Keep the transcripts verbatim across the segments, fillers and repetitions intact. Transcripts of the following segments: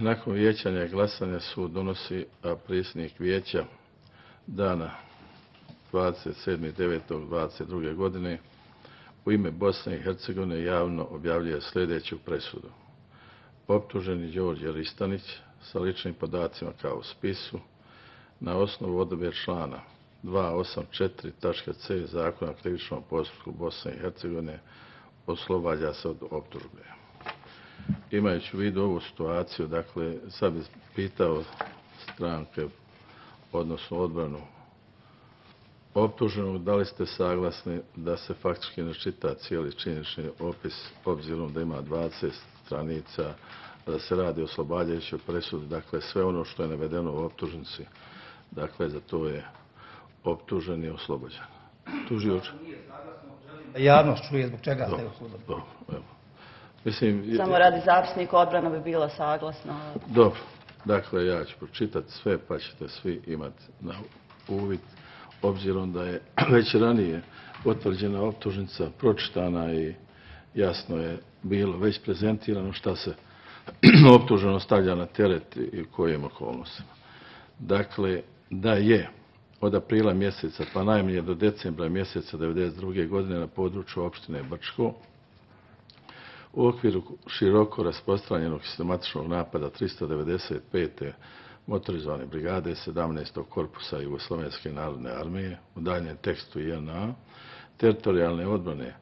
Nakon vijećanja i glasanja sud donosi, a predsjednik vijeća dana dvadeset sedmog devetog dvadeset druge godine u ime Bosne i Hercegovine javno objavljuje sljedeću presudu. Optuženi Đorđe Ristanić sa ličnim podacima kao u spisu na osnovu odredbe člana dvjesto osamdeset četiri tačka c Zakona o krivičnom postupku Bosne i Hercegovine oslobađa se od optužbe. Imajući u vidu ovu situaciju, dakle, sad bih pitao stranke, odnosno odbranu optuženog, da li ste saglasni da se faktički ne čita cijeli činjenični opis, obzirom da ima dvadeset stranica, da se radi o oslobađajućoj presudi, dakle, sve ono što je navedeno u optužnici, dakle, za to je optužen i oslobođen. Tužioč? Javnost čuje zbog čega ste oslobođeni. Mislim, Samo radi zapisnika odbrana bi bila saglasna. Dobro, dakle ja ću pročitati sve pa ćete svi imati na uvid, obzirom da je već ranije potvrđena optužnica, pročitana i jasno je bilo već prezentirano šta se optuženo stavlja na teret i u kojim okolnostima. Dakle, da je od aprila mjeseca pa najmanje do decembra mjeseca devedeset druge godine na području opštine Brčko u okviru široko rasprostranjenog sistematičnog napada tristo devedeset pete motorizovane brigade sedamnaestog korpusa Jugoslovenske narodne armije u daljem tekstu J N A, teritorijalne odbrane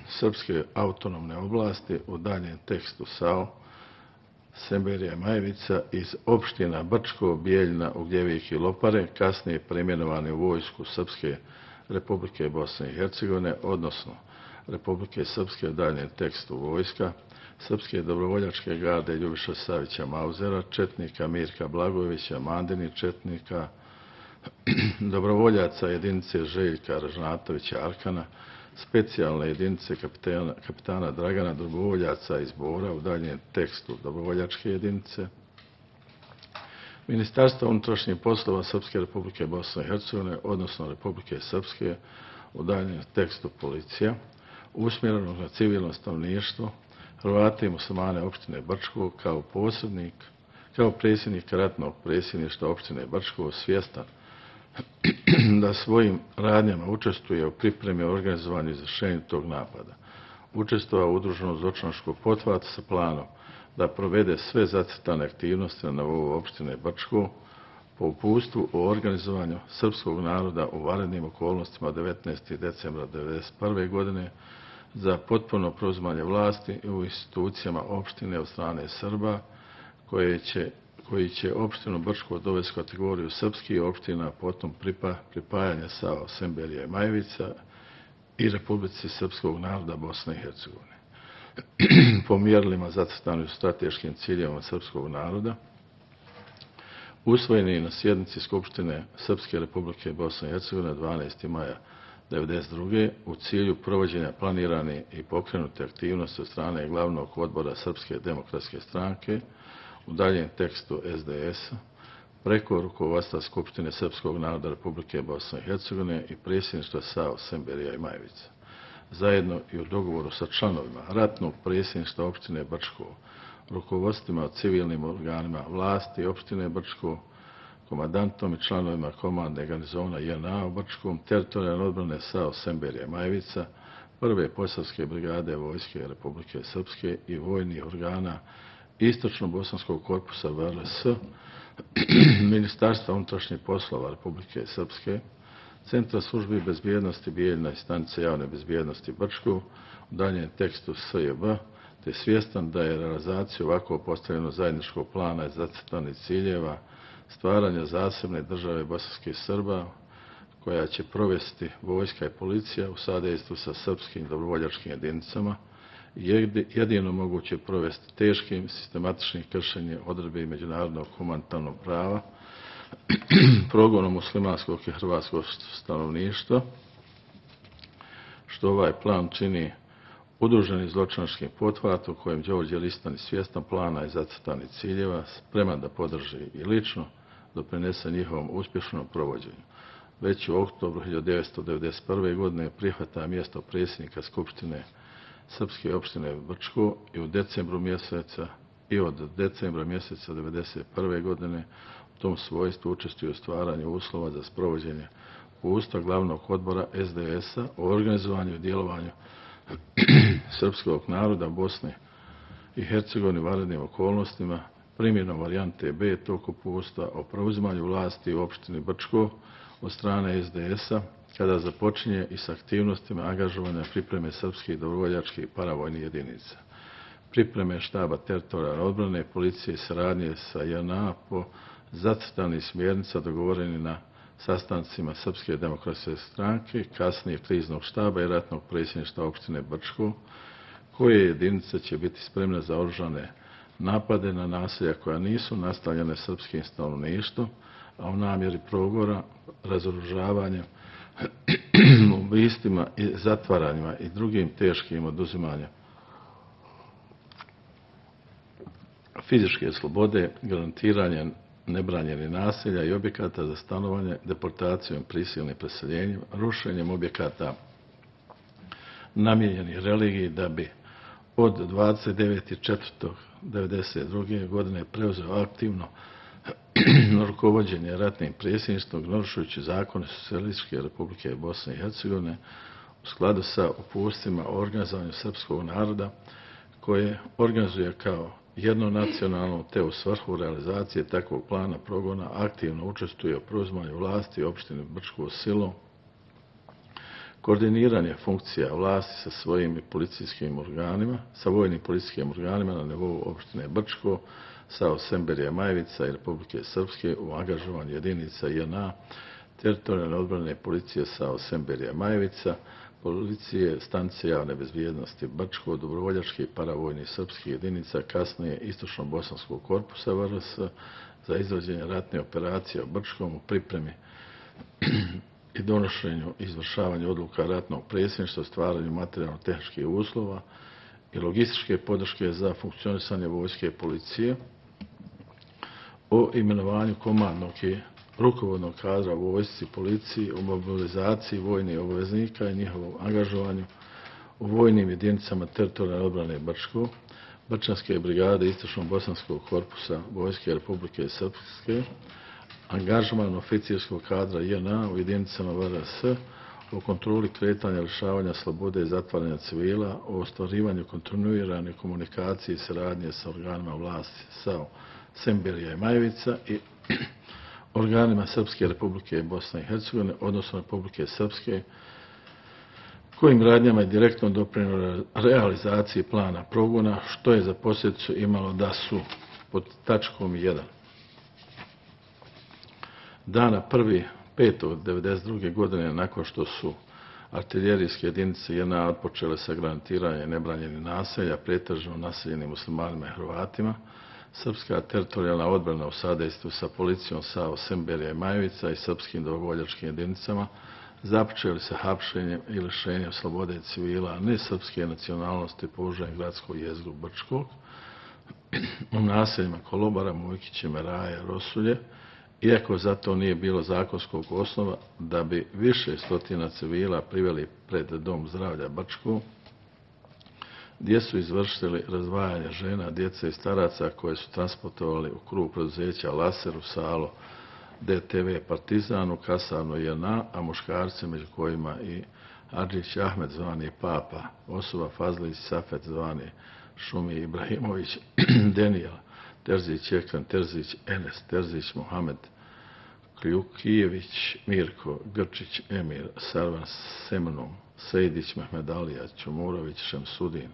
Srpske autonomne oblasti u daljem tekstu S A O, Semberija i Majevica iz opština Brčko, Bijeljina, Ugljevik i Lopare, kasnije preimenovane u vojsku Srpske Republike Bosne i Hercegovine, odnosno Republike Srpske u daljem tekstu vojska, Srpske dobrovoljačke garde Ljubiša Savića Mauzera, četnika Mirka Blagojevića, Mandini četnika, dobrovoljaca jedinice Željka Ražnatovića Arkana, specijalne jedinice kapitana, kapitana Dragana, dobrovoljaca iz Bora u daljem tekstu dobrovoljačke jedinice, Ministarstva unutrašnjih poslova Srpske Republike Bosne i Hercegovine, odnosno Republike Srpske u daljem tekstu policija, usmjerenog na civilno stanovništvo, Hrvate i muslimane opštine Brčko kao posrednik, kao predsjednik ratnog predsjedništva opštine Brčko svjestan da svojim radnjama učestvuje u pripremi i organizovanju izvršenja tog napada. Učestvovao u udruženom zločinačkom pothvatu sa planom da provede sve zacrtane aktivnosti na nivou opštine Brčko po uputstvu o organizovanju srpskog naroda u vanrednim okolnostima devetnaestog decembra devedeset prve godine za potpuno preuzimanje vlasti u institucijama opštine od strane Srba, koje će, koji će opštinu Brčko dovesti u kategoriju srpskih opština, potom pripa, pripajanja S A O, Semberija i Majevica i Republici Srpskog naroda Bosne i Hercegovine. Po mjerilima zacrtanim u strateškim ciljevima srpskog naroda, usvojeni na sjednici Skupštine Srpske Republike Bosne i Hercegovine dvanaestog maja devedeset druge u cilju provođenja planirane i pokrenute aktivnosti od strane glavnog odbora Srpske demokratske stranke u daljem tekstu S D S-a preko rukovodstva Skupštine Srpskog naroda Republike Bosne i Hercegovine i predsjedništva S A O, Semberija i Majevica, zajedno i u dogovoru sa članovima ratnog predsjedništva opštine Brčko, rukovodstvima civilnim organima vlasti opštine Brčko, komandantom i članovima komande garnizona J N A u Brčkom, teritorijalne odbrane S A O, Semberija i Majevica, prve posavske brigade vojske Republike Srpske i vojnih organa Istočno-bosanskog korpusa V R S, Ministarstva unutrašnjih poslova Republike Srpske, Centra službi bezbjednosti Bijeljina i stanice javne bezbjednosti Brčko u daljem tekstu S J B, te svjestan da je realizaciju ovako postavljeno zajedničkog plana i zacrtanih ciljeva stvaranja zasebne države bosanskih Srba, koja će provesti vojska i policija u sadejstvu sa srpskim dobrovoljačkim jedinicama, jedino moguće provesti teškim sistematičnim kršenjem odredbi međunarodnog humanitarnog prava, progonom muslimanskog i hrvatskog stanovništva, što ovaj plan čini udruženi zločinačkim pothvatom kojem Đorđe Ristanić svjestan plana i zacrtanih ciljeva, spreman da podrži i lično doprinese njihovom uspješnom provođenju. Već u oktobru hiljadu devetsto devedeset prve godine prihvata mjesto predsjednika Skupštine Srpske opštine Brčko i u decembru mjeseca i od decembra mjeseca devedeset prve godine u tom svojstvu učestvuje u stvaranju uslova za sprovođenje uputstva glavnog odbora S D S-a o organizovanju i djelovanju srpskog naroda Bosne i Hercegovine u vanrednim okolnostima, primjenom varijante B tog uputstva o preuzimanju vlasti u opštini Brčko od strane S D S-a, kada započinje i s aktivnostima angažovanja pripreme srpskih dobrovoljačkih i paravojnih jedinica. Pripreme štaba teritorijalne odbrane, policije i saradnje sa J N A po zacrtanih smjernica dogovoreni na sastancima Srpske demokratske stranke, kasnije kriznog štaba i ratnog predsjedništva opštine Brčko, koje jedinice će biti spremne za oružane napade na naselja koja nisu nastavljene srpskim stanovništvom, a u namjeri progora, razoružavanjem, ubistvima i zatvaranjima i drugim teškim oduzimanjem fizičke slobode, garantiranje nebranjenih naselja i objekata za stanovanje, deportacijom, prisilnim preseljenjem, rušenjem objekata namijenjenih religiji da bi od dvadeset devetog četvrtog devedeset druge godine preuzeo aktivno rukovođenje ratnim predsjedništvom, narušujući zakone Socijalističke Republike Bosne i Hercegovine u skladu sa uputstvima o organizovanju srpskog naroda, koje organizuje kao jedno nacionalno, te u svrhu realizacije takvog plana progona aktivno učestvuje u preuzimanju vlasti u opštini Brčko silom, koordiniranje funkcija vlasti sa svojim policijskim organima, sa vojnim policijskim organima na nivou opštine Brčko, sa Semberija Majevica i Republike Srpske u angažovanju jedinica J N A, teritorijalne odbrane policije sa Semberija Majevica, policije, stanice javne bezbjednosti Brčko, dobrovoljački i paravojnih srpskih jedinica, kasnije istočno-bosanskog korpusa V R S za izvođenje ratne operacije u Brčkom u pripremi i donošenju i izvršavanju odluka ratnog predsjedništva, stvaranju materijalno-tehničkih uslova i logističke podrške za funkcionisanje vojske i policije, o imenovanju komandnog i rukovodnog kadra u vojsci, policiji, o mobilizaciji vojnih obveznika i njihovom angažovanju u vojnim jedinicama teritorijalne odbrane Brčko, Brčanske brigade istočno-bosanskog korpusa Vojske Republike Srpske, angažman oficirskog kadra J N A u jedinicama V R S, o kontroli kretanja, lišavanja slobode i zatvaranja civila, o ostvarivanju kontinuirane komunikacije i saradnje sa organima vlasti SAO Semberija i Majevica i organima Srpske Republike Bosne i Hercegovine, odnosno Republike Srpske, kojim radnjama je direktno doprinijelo realizaciji plana progona, što je za posljedicu imalo da su pod tačkom jedan dana prvog petog devedeset druge godine, nakon što su artiljerijske jedinice J N A odpočele sa granatiranjem nebranjenih naselja, pretežno naseljenim muslimanima i Hrvatima, srpska teritorijalna odbrana u sadejstvu sa policijom SAO Semberija i Majevica i srpskim dobrovoljačkim jedinicama započeli sa hapšenjem i lišenjem slobode civila nesrpske nacionalnosti položajem gradskog jezgru Brčkog u naseljima Kolobara, Mujkiće, Meraje, Rosulje, iako za to nije bilo zakonskog osnova, da bi više stotina civila priveli pred Dom zdravlja Brčko, gdje su izvršili razdvajanje žena, djece i staraca koje su transportovali u krug preduzeća Laser u Salo D T V Partizan u kasarnu J N A, a muškarci među kojima i Adžić Ahmed zvani Papa, osoba Fazlić Safet zvani Šumi Ibrahimović, Denijel Terzić Ekran, Terzić Enes, Terzić Mohamed, Kljukijević Mirko, Grčić Emir, Sarvan Semnom, Sejdić Mehmed Alija, Čumurović Šemsudin,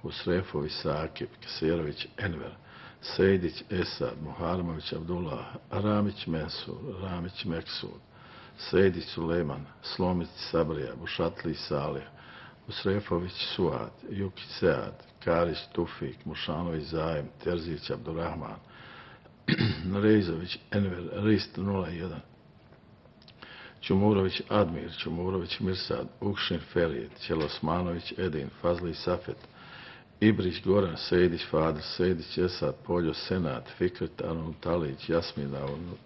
Husrefović Sakip, Keserović Enver, Sejdić Esad, Muharmović Abdullah, Ramić Mensur, Ramić Meksud, Sejdić Suleman, Slomić Sabrija, Bušatli Salih, Husrefović Suad, Jukić Sead, Karić Tufik, Mušanović Zajem, Terzić Abdurrahman, Rejzović Enver, Rist nula jedan, Čumurović Admir, Čumurović Mirsad, Ukšin Ferid, Ćelosmanović Edin, Fazli Safet, Ibrić Goran, Sejdić Fadr, Sejdić Esad, Poljo Senat, Fikret Arnautalić, Jasmin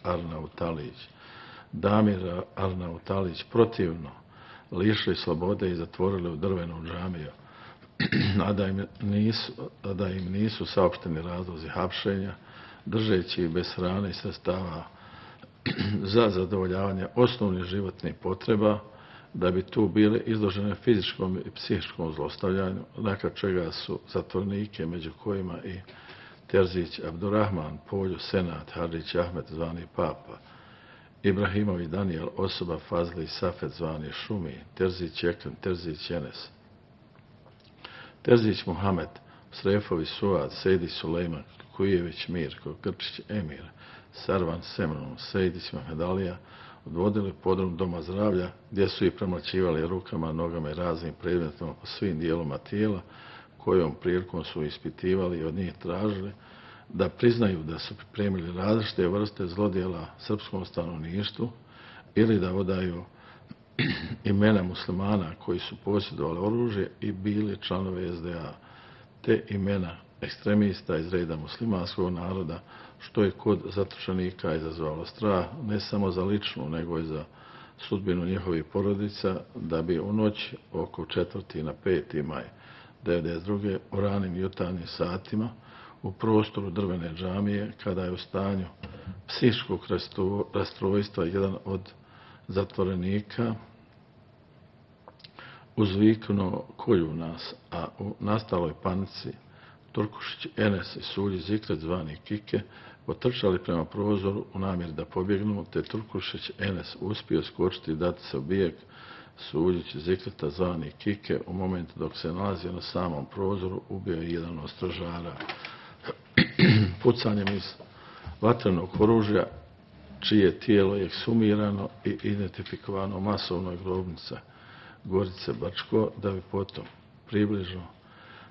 Arnautalić, Damir Arnautalić protivno lišili slobode i zatvorili u drvenu džamiju a da im nisu, a da im nisu saopšteni razlozi hapšenja, držeći ih bez hrane i sredstava za zadovoljavanje osnovnih životnih potreba, da bi tu bile izložene fizičkom i psihičkom zlostavljanju, nakon čega su zatvornike, među kojima i Terzić Abdurrahman, Polju Senat, Hadžić Ahmet zvani Papa, Ibrahimović Danijel, osoba Fazli Safet zvani Šumi, Terzić Ekrem, Terzić Enes, Terzić Muhamed, Srefović Suad, Sejdić Sulejman, Kujević Mirko, Grčić Emir, Sarvan Semnon, Sejdić Mahmedalija odvodili podrum doma zdravlja, gdje su ih premlaćivali rukama, nogama i raznim predmetima po svim dijeloma tijela, kojom prilikom su ispitivali i od njih tražili da priznaju da su pripremili različite vrste zlodjela srpskom stanovništvu ili da odaju imena muslimana koji su posjedovali oružje i bili članovi es de a, te imena ekstremista iz reda muslimanskog naroda, što je kod zatočenika izazvalo strah ne samo za ličnu, nego i za sudbinu njihovih porodica, da bi u noć oko četvrti na peti maj devedeset druge u ranim jutarnjim satima u prostoru drvene džamije, kada je u stanju psihičkog rastrojstva jedan od zatvorenika uzviknuo kolju nas, a u nastaloj panici Turkušić Enes i Sulji Zikret zvani Kike potrčali prema prozoru u namjeri da pobjegnu, te Turkušić Enes uspio skočiti i dati se u bijeg. Suljić Zikreta zvani Kike u momentu dok se nalazio na samom prozoru ubio je jedan od stražara pucanjem iz vatrenog oružja, čije tijelo je eksumirano i identifikovano masovnoj grobnici Gorice Bačko, da bi potom približno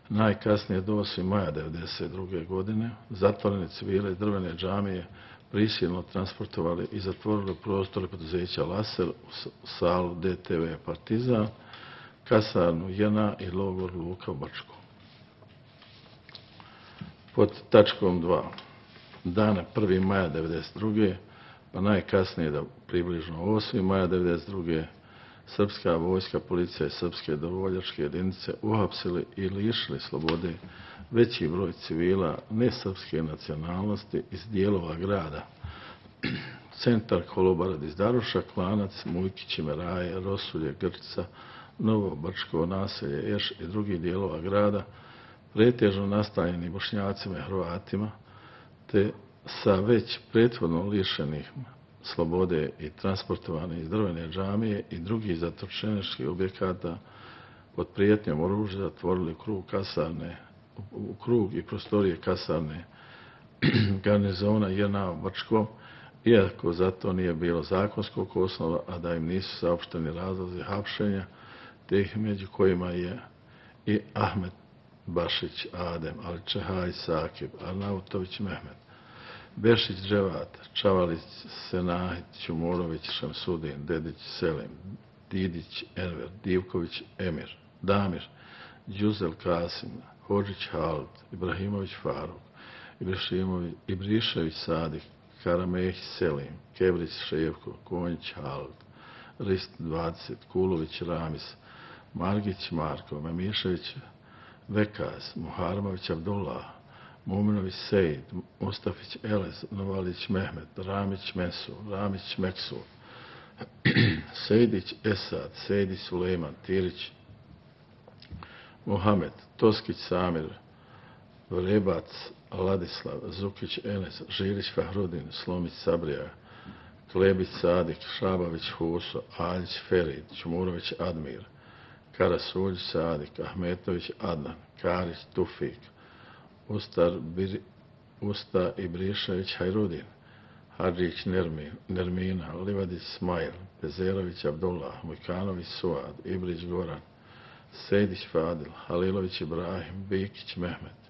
najkasnije do osmog maja devedeset druge godine zatvorene civile iz drvene džamije prisilno transportovali i zatvorili prostore poduzeća Laser u salu de te ve Partizan, kasarnu J N A i logor Luka u Bačku. Pod tačkom dva. Dana prvog maja devedeset druge pa najkasnije da približno osmog maja devedeset druge srpska vojska, policija i srpske dobrovoljačke jedinice uhapsili i lišili slobode veći broj civila nesrpske nacionalnosti iz dijelova grada. Centar Kolobarad iz Daruša, Klanac, Mujkić, Meraje, Rosulje, Grčica, Novo Brčko, naselje Eš i drugih dijelova grada, pretežno nastanjeni Bošnjacima i Hrvatima, te sa već prethodno lišenih slobode i transportovane iz drvene džamije i drugih zatočeničkih objekata pod prijetnjom oružja zatvorili krug kasarne, u krug i prostorije kasarne garnizona J N A u Brčkom, iako za to nije bilo zakonskog osnova, a da im nisu saopšteni razlozi hapšenja, te ih među kojima je i Ahmet Bašić Adem, Ali Čehaj Sakib, Arnautović Mehmet, Bešić Dževat, Čavalić Senahit, Ćumorović Šamsudin, Dedić Selim, Didić Enver, Divković Emir, Damir, Đuzel Kasim, Hodžić Halid, Ibrahimović Faruk, Ibrišević Sadik, Karamehić Selim, Kebrić Ševko, Konjić Halid, Rist dvadeset, Kulović Ramis, Margić Marko, Memišević Vekaz, Muharmović Abdullah, Muminović Sejid, Mustafić Elez, Novalić Mehmet, Ramić Mesu, Ramić Meksu, Sejdić Esad, Sejdić Sulejman, Tirić Mohamed, Toskić Samir, Vrebac Ladislav, Zukić Enes, Žilić Fahrudin, Slomić Sabrija, Klebić Sadik, Šabavić Huso, Aljić Ferid, Čumurović Admir, Karasuljić Sadik, Ahmetović Adnan, Karić Tufik, Ustar Bir, Usta Ibrišević Hajrudin, Hadžić Nermin, Nermina, Livadić Smajl, Pezerović Abdullah, Mujkanović Suad, Ibrić Goran, Sejdić Fadil, Halilović Ibrahim, Bikić Mehmet,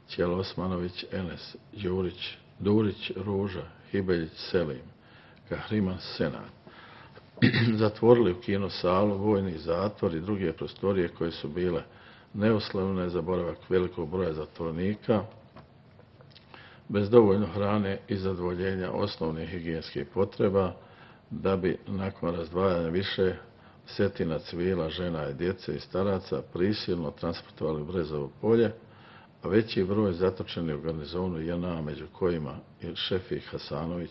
Ćelo Osmanović Enes, Đurić, Durić Ruža, Hibeljić Selim, Kahriman Senat. Zatvorili u kino salu, vojni zatvor i druge prostorije koje su bile neuslovne za boravak velikog broja zatvornika, bez dovoljno hrane i zadovoljenja osnovnih higijenskih potreba, da bi nakon razdvajanja više desetina civila, žena i djece i staraca prisilno transportovali u Brezovo polje, a veći broj zatočeni u garnizonu J N A, među kojima je Šefik Hasanović,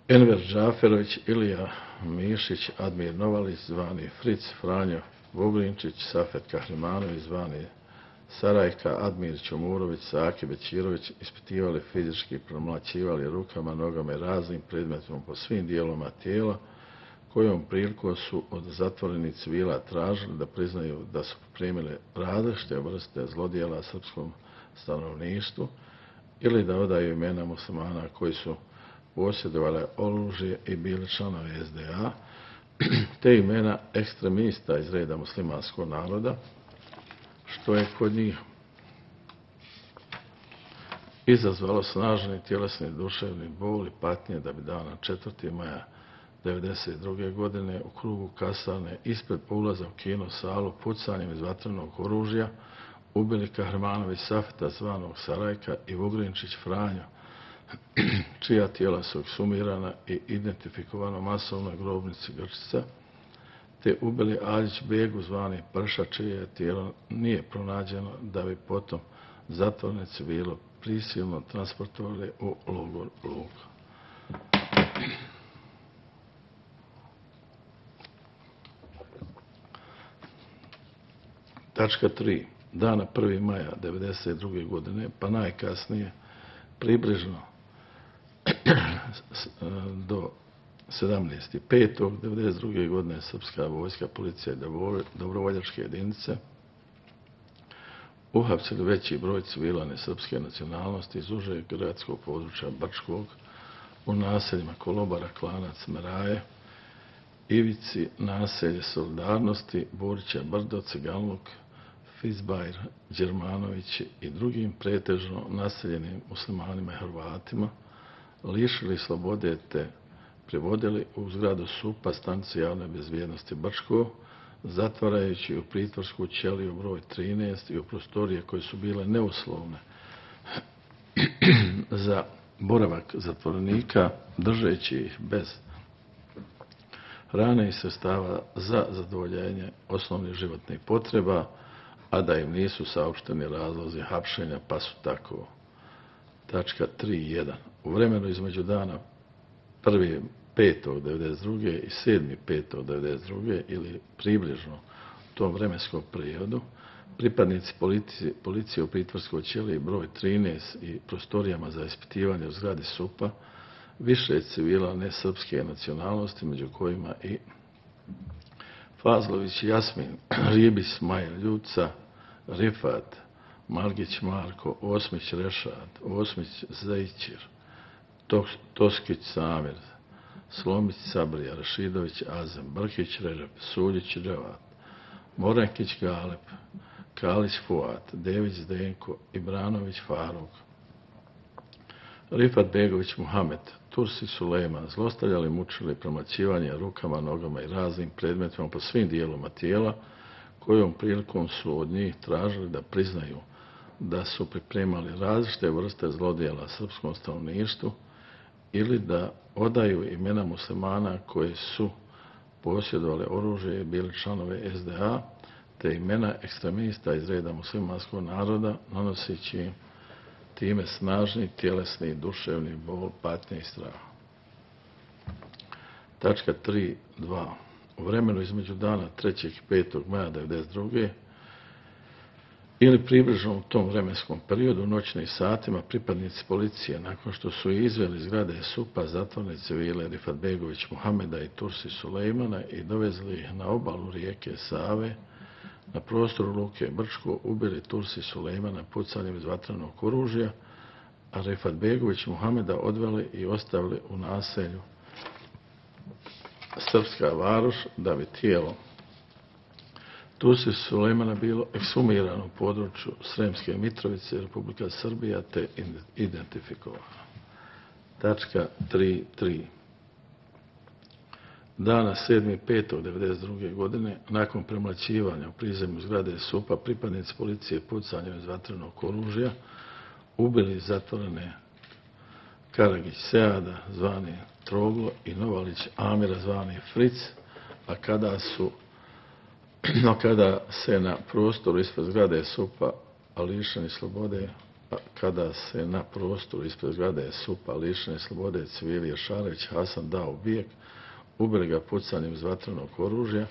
Enver Džaferović, Ilija Mišić, Admir Novalić, zvani Fric, Franjo Vugrinčić, Safet Kahrimanović, zvani Sarajka, Admir Čomurović, Saki Bećirović ispitivali fizički, promlaćivali rukama, nogama i raznim predmetima po svim dijelovima tijela, kojom prilikom su od zatvorenih civila tražili da priznaju da su pripremili različite vrste zlodjela srpskom stanovništvu ili da odaju imena muslimana koji su posjedovali oružje i bili članovi S D A, te imena ekstremista iz reda muslimanskog naroda, što je kod njih izazvalo snažni tjelesni duševni bol i patnje, da bi dana četvrtog maja devedeset druge. godine u krugu kasarne ispred ulaza u kino salu pucanjem iz vatrenog oružja ubili Kahrimanović Safeta, zvanog Sarajka, i Vugrinčić Franjo, čija tijela su eksumirana i identifikovano masovnoj grobnici Grčica, te ubili Aljić Begu, zvani Prša, čije tijelo nije pronađeno, da bi potom zatvorenici bilo prisilno transportovali u logor Luka. Tačka tri. Dana prvog maja devedeset druge. godine, pa najkasnije približno do sedamnaestog petog devedeset druge. godine srpska vojska, policija i dobrovoljačke jedinice uhapsili veći broj civila nesrpske nacionalnosti iz užeg gradskog područja Brčkog u naseljima Kolobara, Klanac, Meraje, Ivici, naselje Solidarnosti, Borića Brdo, Cigalnuk, Fizbajr, Đermanović i drugim pretežno naseljenim muslimanima i Hrvatima, lišili slobode te privodili u zgradu S U P-a, stanice javne bezbjednosti Brčko, zatvarajući u pritvorsku ćeliju broj trinaest i u prostorije koje su bile neuslovne za boravak zatvorenika, držeći ih bez hrane i sredstava za zadovoljenje osnovnih životnih potreba, a da im nisu saopšteni razlozi hapšenja, pa su tako. Tačka tri jedan. U vremenu između dana prvog petog devedeset druge. i sedmog petog devedeset druge. ili približno u tom vremenskom periodu, pripadnici policije, policije u pritvorskoj ćeliji broj trinaest i prostorijama za ispitivanje u zgradi S U P-a više civila nesrpske nacionalnosti, među kojima i Fazlović Jasmin, Ribić Smajl Ljuca, Rifat, Margić Marko, Osmić Rešat, Osmić Zajićir, Toskić Samir, Slomić Sabrija, Rašidović Azem, Brkić Režep, Suljić Revat, Morankić Galeb, Kalić Fuat, Dević Zdenko, Ibranović Faruk, Rifat Begović Muhamed, Tursi Sulejman, zlostavljali, mučili, promlaćivanje rukama, nogama i raznim predmetima po svim dijeloma tijela, kojom prilikom su od njih tražili da priznaju da su pripremali različite vrste zlodjela srpskom stanovništvu ili da odaju imena muslimana koji su posjedovali oružje i bili članove S D A, te imena ekstremista iz reda muslimanskog naroda, nanoseći im time snažni tjelesni i duševni bol, patnje i strah. Tačka tri dva. U vremenu između dana trećeg i petog maja devedeset druge. ili približno u tom vremenskom periodu, u noćnim satima, pripadnici policije, nakon što su izveli zgrade S U P-a, zatvorene civile Rifat Begović Muhameda i Tursi Sulejmana i dovezli ih na obalu rijeke Save, na prostoru luke Brčko, ubili Tursi Sulejmana pucanjem iz vatrenog oružja, a Rifat Begović Muhameda odveli i ostavili u naselju Srpska Varoš, da bi tijelo Tursi Sulejmana bilo eksumirano u području Sremske Mitrovice, Republika Srbija, te identifikovano. Tačka tri tri. Dana sedmog petog devedeset druge. godine, nakon premlaćivanja u prizemlju zgrade S U P-a, pripadnici policije pucanjem iz vatrenog oružja ubili zatvorene Karagić Seada, zvani Troglo, i Novalić Amira, zvani Fric, a kada su no kada se na prostoru ispred zgrade S U P-a, a lišeni slobode, a kada se na prostoru ispred zgrade S U P-a, lišeni slobode civili Ješarević Hasan dao u bijeg, ubili ga pucanjem iz vatrenog oružja,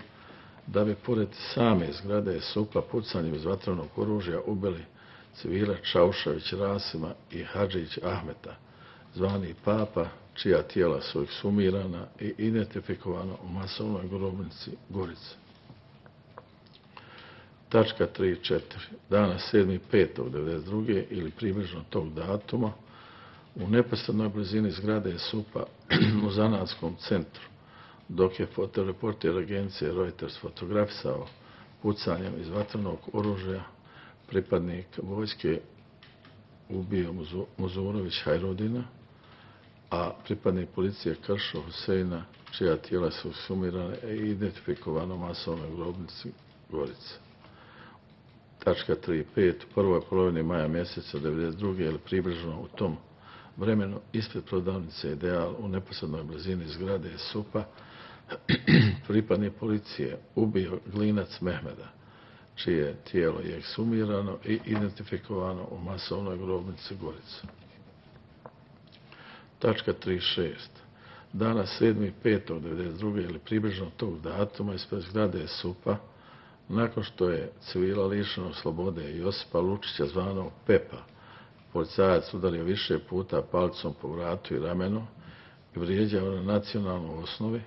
da bi pored same zgrade S U P-a pucanjem iz vatrenog oružja ubili civila Čaušević Rasima i Hadžić Ahmeta, zvani Papa, čija tijela su ekshumirana i identifikovana u masovnoj grobnici Gorice. Tačka tri i četiri. Dana sedmog petog devedeset druge ili približno tog datuma u neposrednoj blizini zgrade S U P-a u zanatskom centru, dok je fotoreporter agencije Reuters fotografisao pucanjem iz vatrenog oružja, pripadnik vojske ubio Muzurović Hajrudina, a pripadnik policije Kršo Huseina, čija tijela su sumirane i identifikovano u masovnoj grobnici Gorice. Tačka tri i pet. U prvoj polovini maja mjeseca devedeset druge ili približno u tom vremenu ispred prodavnice Ideal u neposrednoj blizini zgrade S U P-a pripadnik policije ubio Glinac Mehmeda, čije tijelo je ekshumirano i identifikovano u masovnoj grobnici Gorice. Tačka tri i šest. Dana sedmog petog devedeset druge ili približno tog datuma ispred zgrade S U P-a, nakon što je civila lišenog slobode Josipa Lučića zvanog Pepa, policajac udario više puta palicom po vratu i ramenu i vrijeđao na nacionalnoj osnovi,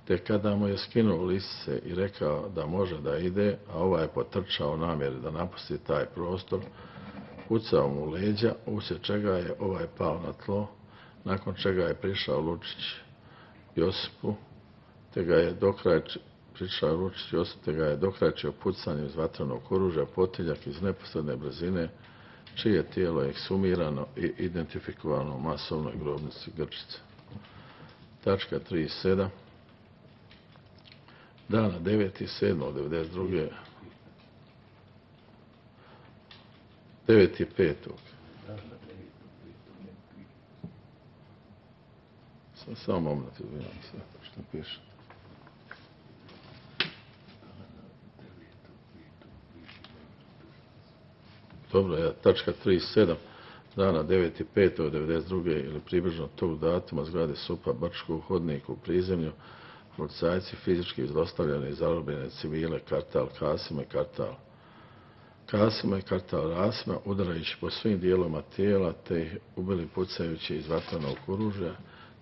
te kada mu je skinuo lisice i rekao da može da ide, a ovaj je potrčao u namjeri da napusti taj prostor, pucao mu u leđa, uslijed čega je ovaj pao na tlo, nakon čega je prišao Lučić Josipu, te ga je dokrajčio prišao Lučić Josip, te ga je dokrajčio pucanjem iz vatrenog oružja potiljak iz neposredne brzine, čije tijelo je ekshumirano i identifikovano u masovnoj grobnici Grčice. Tačka tri i sedam. Dana devetog sedmog devedeset druge devetog petog Samo moment, izvinjam se, što piše. Dobro, ja, tačka tri i sedam. Dana devetog petog devedeset druge ili približno tog datuma zgrade S U P-a Brčko u hodniku u prizemlju, policajci fizički izlostavljene i zarobljene civile Kartal Kasima i Kartal Kasima i Kartal Rasima, udarajući po svim dijelovima tijela, te ih ubili pucajući iz vatrenog oružja,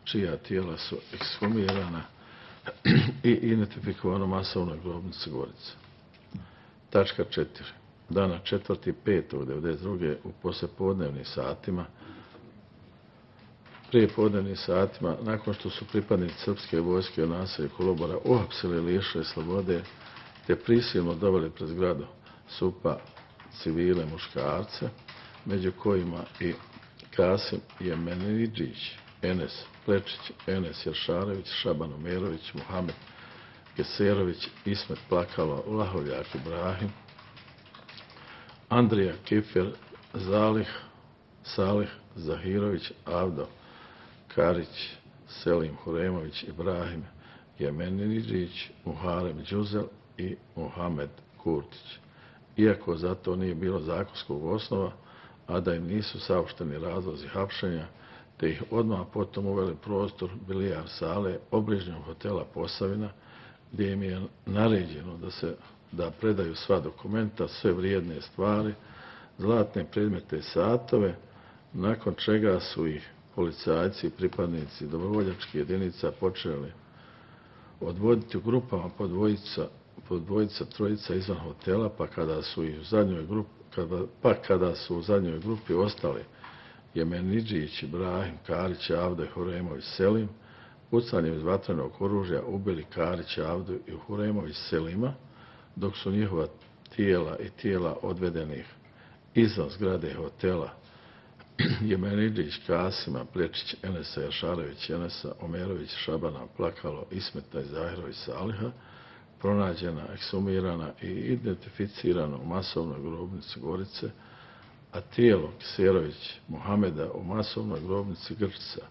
čija tijela su ekshumirana i identifikovano masovnoj grobnici Gorice. Tačka četiri. Dana četvrtog petog devedeset druge u poslijepodnevnim satima, prije podnevnim satima, nakon što su pripadnici srpske vojske u naselju Kolobora uhapsili i lišili slobode, te prisilno doveli pred zgradu S U P-a civile muškarce, među kojima i Kasim Jemenidžić, Enes Plečić, Enes Jeršarević, Šaban Umerović, Muhamed Geserović, Ismet Plakalo, Lahovljak Ibrahim, Andrija Kifer, Zalih, Salih Zahirović, Avdo Karić, Selim Huremović, Ibrahim Jemenidžić, Muharem Đuzel i Muhamed Kurtić. Iako za to nije bilo zakonskog osnova, a da im nisu saopšteni razlozi hapšenja, te ih odmah potom uveli prostor bilijar sale obližnjom hotela Posavina, gdje im je naređeno da se da predaju sva dokumenta, sve vrijedne stvari, zlatne predmete i satove, nakon čega su ih policajci i pripadnici dobrovoljačkih jedinica počeli odvoditi u grupama po dvojica, po dvojica, trojica izvan hotela, pa kada su ih u zadnjoj grupi, kada, pa kada su u zadnjoj grupi ostali Jemenidžić, Ibrahim, Karić, Avdo i Huremović Selim, pucanjem iz vatrenog oružja ubili Karić, Avdo i Huremović Selima, dok su njihova tijela i tijela odvedenih izvan zgrade hotela Jemenidžić, Kasima, Plečić, Enesa Jeršarević, Enesa Omerović, Šabana, Plakalo, Ismeta i Zahirović Saliha, pronađena, ekshumirana i identificirana u masovnoj grobnici Gorice, a tijelo Kiserović Muhameda u masovnoj grobnici Grčica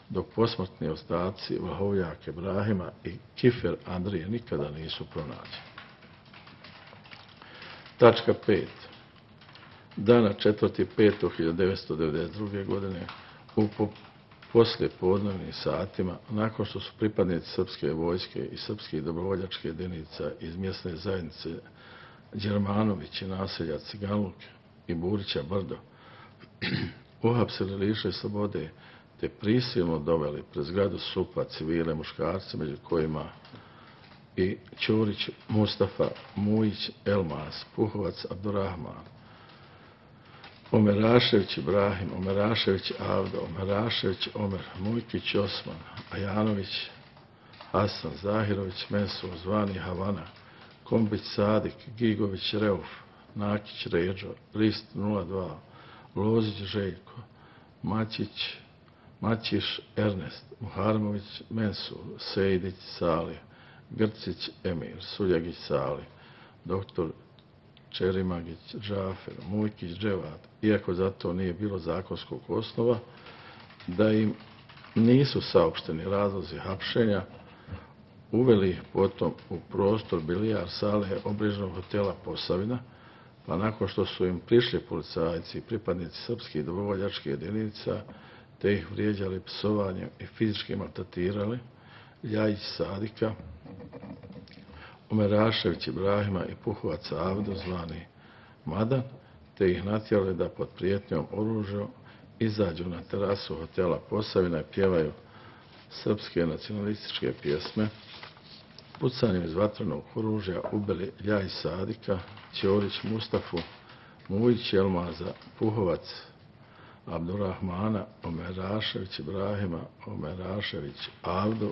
dok posmrtni ostaci Vlahovljaka Ibrahima i Kifer Andrije nikada nisu pronađeni. Tačka pet. Dana četvrtog petog hiljadu devetsto devedeset druge. godine u poslije podnevnim satima, nakon što su pripadnici srpske vojske i srpskih dobrovoljačkih jedinica iz mjesne zajednice Đermanović i naselja Ciganluk i Burića Brdo uhapsili, lišili slobode te prisilno doveli pred zgradu S U P-a civile muškarce, među kojima i Ćurić Mustafa, Mujić Elmas, Puhovac Abdurrahman, Omerašević Ibrahim, Omerašević Avdo, Omerašević Omer, Mujkić Osman, Ajanović Hasan, Zahirović Mensur, zvani Havana, Kombić Sadik, Gigović Reuf, Nakić Ređo, Rist nula dva, Lozić Željko, Mačić, Mačiš Ernest, Muharmović Mensur, Sejdić Salih, Grcić Emir, Suljagić Salih, doktor Čerimagić Džafer, Mujkić Dževat, iako za to nije bilo zakonskog osnova, da im nisu saopšteni razlozi hapšenja, uveli ih potom u prostor bilijar sale obližnog hotela Posavina, pa nakon što su im prišli policajci i pripadnici srpskih dobrovoljačkih jedinica, te ih vrijeđali psovanjem i fizički maltretirali, Ljajić Sadika, Omerašević Ibrahima i Puhovac Avdo, zvani Madan, te ih natjerali da pod prijetnjom oružja izađu na terasu hotela Posavina i pjevaju srpske nacionalističke pjesme. Pucanjem iz vatrenog oružja ubili Ljajić Sadika, Ćorić Mustafu, Mujić Elmaza, Puhovac Abdurrahmana, Omerašević Ibrahima, Omerašević Avdo,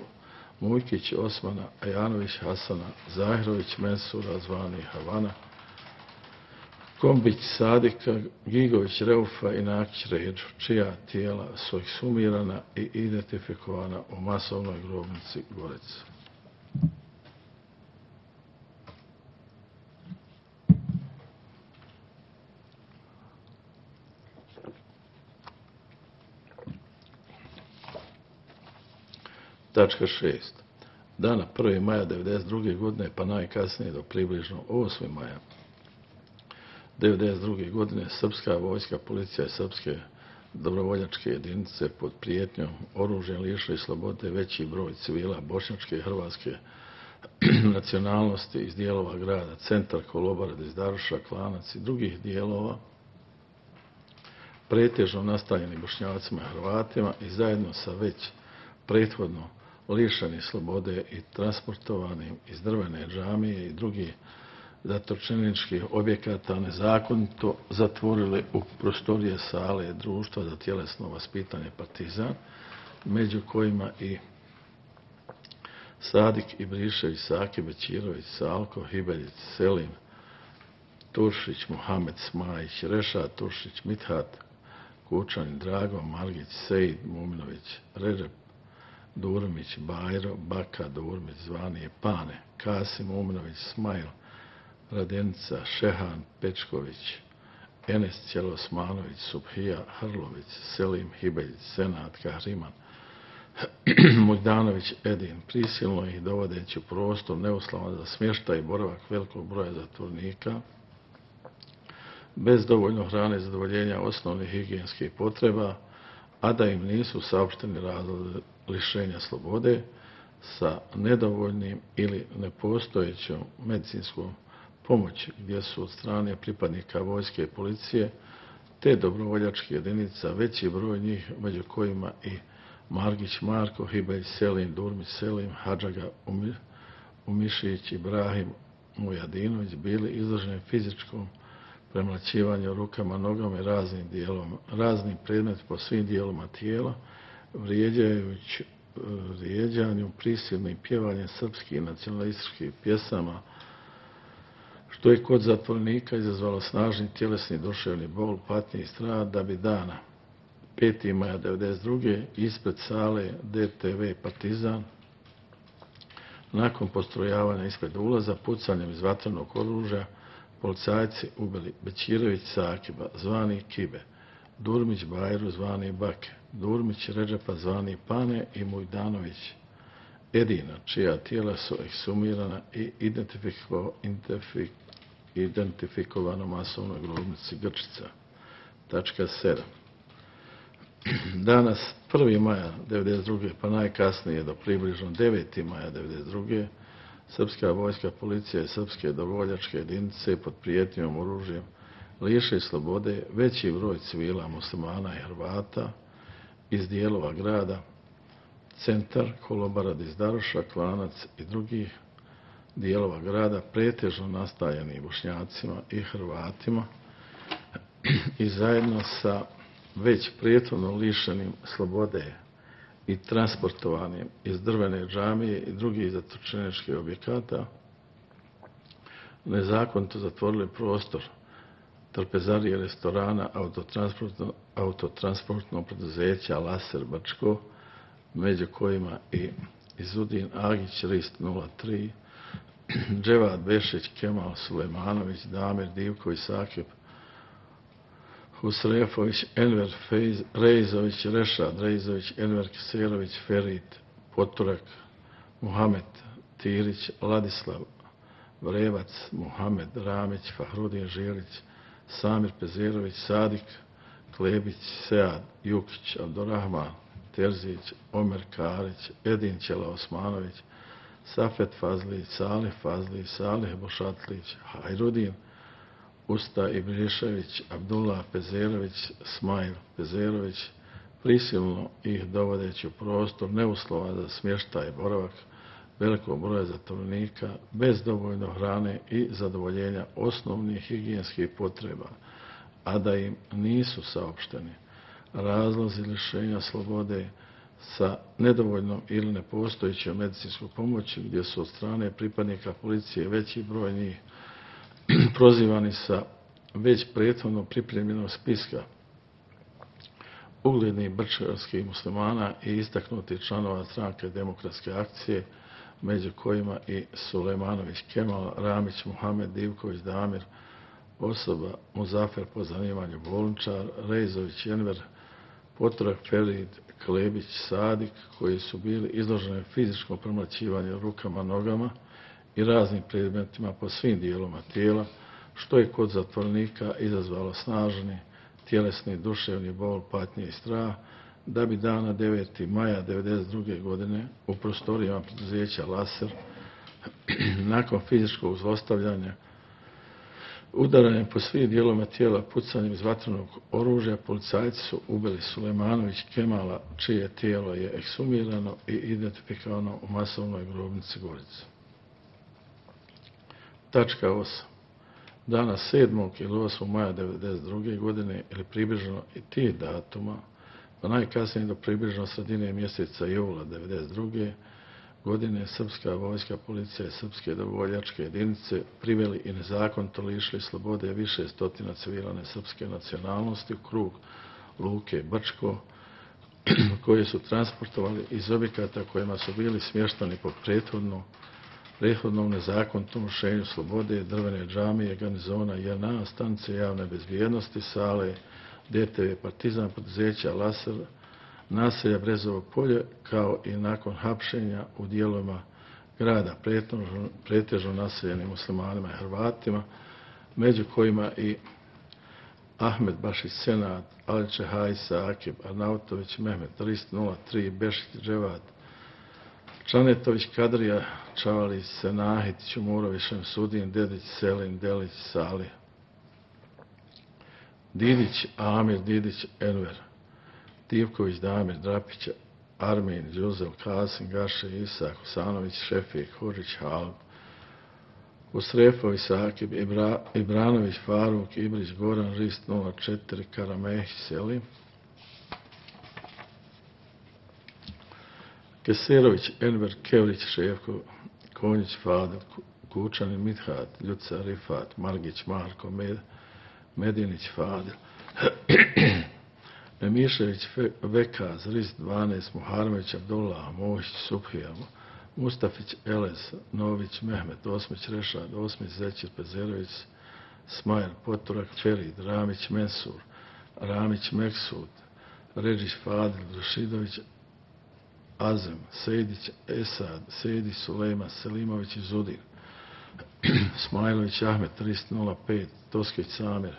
Mujkić Osmana, Ajanović Hasana, Zahirović Mensura, zvani Havana, Kombić Sadika, Gigović Reufa i Nakić Ređu, čija tijela su ekshumirana i identifikovana u masovnoj grobnici Gorec. Tačka šest. Dana prvog maja devedeset druge. godine pa najkasnije do približno osmog maja devedeset druge. godine srpska vojska, policija i srpske dobrovoljačke jedinice pod prijetnjom oružjem lišili slobode veći broj civila bošnjačke i hrvatske nacionalnosti iz dijelova grada Centar, Kolobara, Dizdaruša, Klanac i drugih dijelova, pretežno nastanjeni Bošnjacima i Hrvatima, i zajedno sa već prethodno lišeni slobode i transportovanim iz drvene džamije i drugih zatočeničkih objekata nezakonito zatvorili u prostorije sale društva za tjelesno vaspitanje Partizan, među kojima i Sadik Ibrišević, Saki Bećirović, Salko Hibeljić, Selim Turšić, Muhamed Smajić, Reša Turšić, Mithat Kučanin, Drago Margić, Sejid Muminović, Ređep Durmić, Bajro, Baka Durmić, zvani Pane, Kasim Umnović, Smajl, Radenica, Šehan Pečković, Enes Ćelosmanović, Subhija Hrlović, Selim Hibeljić, Senat Kahriman, Mujdanović Edin, prisilno ih dovodeći u prostor neuslavan za smještaj i boravak velikog broja zatvornika, bez dovoljno hrane i zadovoljenja osnovnih higijenskih potreba, a da im nisu saopšteni razlozi lišenja slobode, sa nedovoljnim ili nepostojećom medicinskom pomoći, gdje su od strane pripadnika vojske i policije te dobrovoljačkih jedinica veći broj njih, među kojima i Margić Marko, Hibelj Selim, Durmić Selim, Hadžaga Umišić, Ibrahim Mujadinović, bili izloženi fizičkom premlaćivanju rukama, nogama i raznim dijelom, raznim predmetima po svim dijeloma tijela, vrijeđajući vrijeđanju, prisilnim pjevanjem srpskih nacionalističkih pjesama, što je kod zatvornika izazvalo snažni tjelesni duševni bol, patnje i strah, da bi dana petog maja devedeset druge. ispred sale D T V Partizan, nakon postrojavanja ispred ulaza, pucanjem iz vatrenog oružja, policajci ubili Bećirović Sakiba, zvani Kibe, Durmić Bajru zvani Bake, Durmić Redžepa zvani Pane i Mujdanović Edina, čija tijela su eksumirana i identifiko, identifik, identifikovano masovnoj grobnici Grčica. Tačka sedam. Danas prvog maja devedeset druge pa najkasnije do približno devetog maja devedeset druge srpska vojska, policija i srpske dobrovoljačke jedinice pod prijetnjom oružjem liše slobode veći broj civila muslimana i Hrvata iz dijelova grada, Centar, Kolobara, Dizdaruša, Klanac i drugih dijelova grada, pretežno nastaljeni Bošnjacima i Hrvatima i zajedno sa već prethodno lišenim slobode i transportovanim iz drvene džamije i drugih zatočeničkih objekata nezakonito zatvorili prostor trpezarije restorana autotransportno, autotransportnog preduzeća Laser Brčko, među kojima i Izudin Agić Rist nula tri, Dževad Bešić, Kemal Sulejmanović, Damir Divković, Sakip Husrefović, Enver Fejz, Rejzović, Rešad Rejzović, Enver Kiserović, Ferit Poturak, Muhamed Tirić, Ladislav Vrevac, Muhamed Ramić, Fahrudin Žilić, Samir Pezerović, Sadik Klebić, Sead Jukić, Abdurrahman Terzić, Omer Karić, Edin Ćela Osmanović, Safet Fazlić, Salih Fazlić, Salih Bošatlić, Hajrudin Usta Ibrišević, Abdullah Pezerović, Smajl Pezerović, prisilno ih dovodeći u prostor neuslova za smještaj i boravak velikog broja zatvorenika bez dovoljno hrane i zadovoljenja osnovnih higijenskih potreba, a da im nisu saopšteni razlozi lišenja slobode sa nedovoljnom ili nepostojećom medicinskom pomoći, gdje su od strane pripadnika policije veći broj njih prozivani sa već prethodno pripremljenog spiska uglednih brčkarskih muslimana i istaknutih članova stranke Demokratske akcije, među kojima i Sulejmanović Kemal, Ramić Muhamed, Divković Damir, osoba Muzafer po zanimanju bolničar, Rejzović Enver, Poturak Ferid, Klebić, Sadik, koji su bili izloženi fizičkom premlaćivanju rukama, nogama i raznim predmetima po svim dijeloma tijela, što je kod zatvornika izazvalo snažni tjelesni, duševni bol, patnje i strah, da bi dana devetog maja devedeset druge godine u prostorijama preduzeća Laser nakon fizičkog zlostavljanja, udaranjem po svih dijeloma tijela, pucanjem iz vatrenog oružja, policajci su ubili Sulejmanović Kemala, čije tijelo je eksumirano i identifikovano u masovnoj grobnici Gorice. Tačka osam. Dana sedmog ili osmog maja devedeset druge godine ili približno i tih datuma, pa najkasnije do približno sredine mjeseca jula devedeset druge godine srpska vojska, policija i srpske dobrovoljačke jedinice priveli i nezakonito lišili slobode više stotina civilane srpske nacionalnosti u krug luke Brčko, koje su transportovali iz objekata kojima su bili smještani po prethodnom prethodnom nezakonitom lišenju slobode, drvene džamije, garnizona J N A, stanice javne bezbjednosti, sale D T V Partizan, preduzeća Laser, naselja Brezovo polje, kao i nakon hapšenja u dijelovima grada pretežno naseljenim muslimanima i Hrvatima, među kojima i Ahmed Bašić Senad, Aliče Hajsa, Akib Arnautović, Mehmet Rist nula tri, Bešić Dževad, Čanetović Kadrija, Čavalić Senahit, Čumurović Šemsudin, Dedić Selin, Delić Salih, Didić Amir, Didić Enver, Divković Damir, Drapić Armin, Đuzel, Kasim, Gaše, Isak, Husanović, Šefik, Hurić, Halb, Usrefović, Sakib, Ibra, Ibranović, Faruk, Ibrić, Goran, Rist nula četiri, Karamehić, Selim, Keserović, Enver, Kevrić, Šefko, Konjić, Fadil, Kučanin, Mithat, Ljuca, Rifat, Margić, Marko, Med, Medinić, Fadil, Emišević, Vekaz, Rist dvanaest, Muharmević, Abdullah, Mohić, Subhija, Mustafić, Elez, Nović, Mehmet, Osmić, Rešad, Osmić, Zećir, Pezerović, Smajl, Poturak, Ferid, Ramić, Mensur, Ramić Meksud, Redžić Fadil, Rašidović Azem, Sejdić Esad, Sejdić Sulejman, Selimović Izudin, Smajlović Ahmet tristo nula pet, Toskić Samir,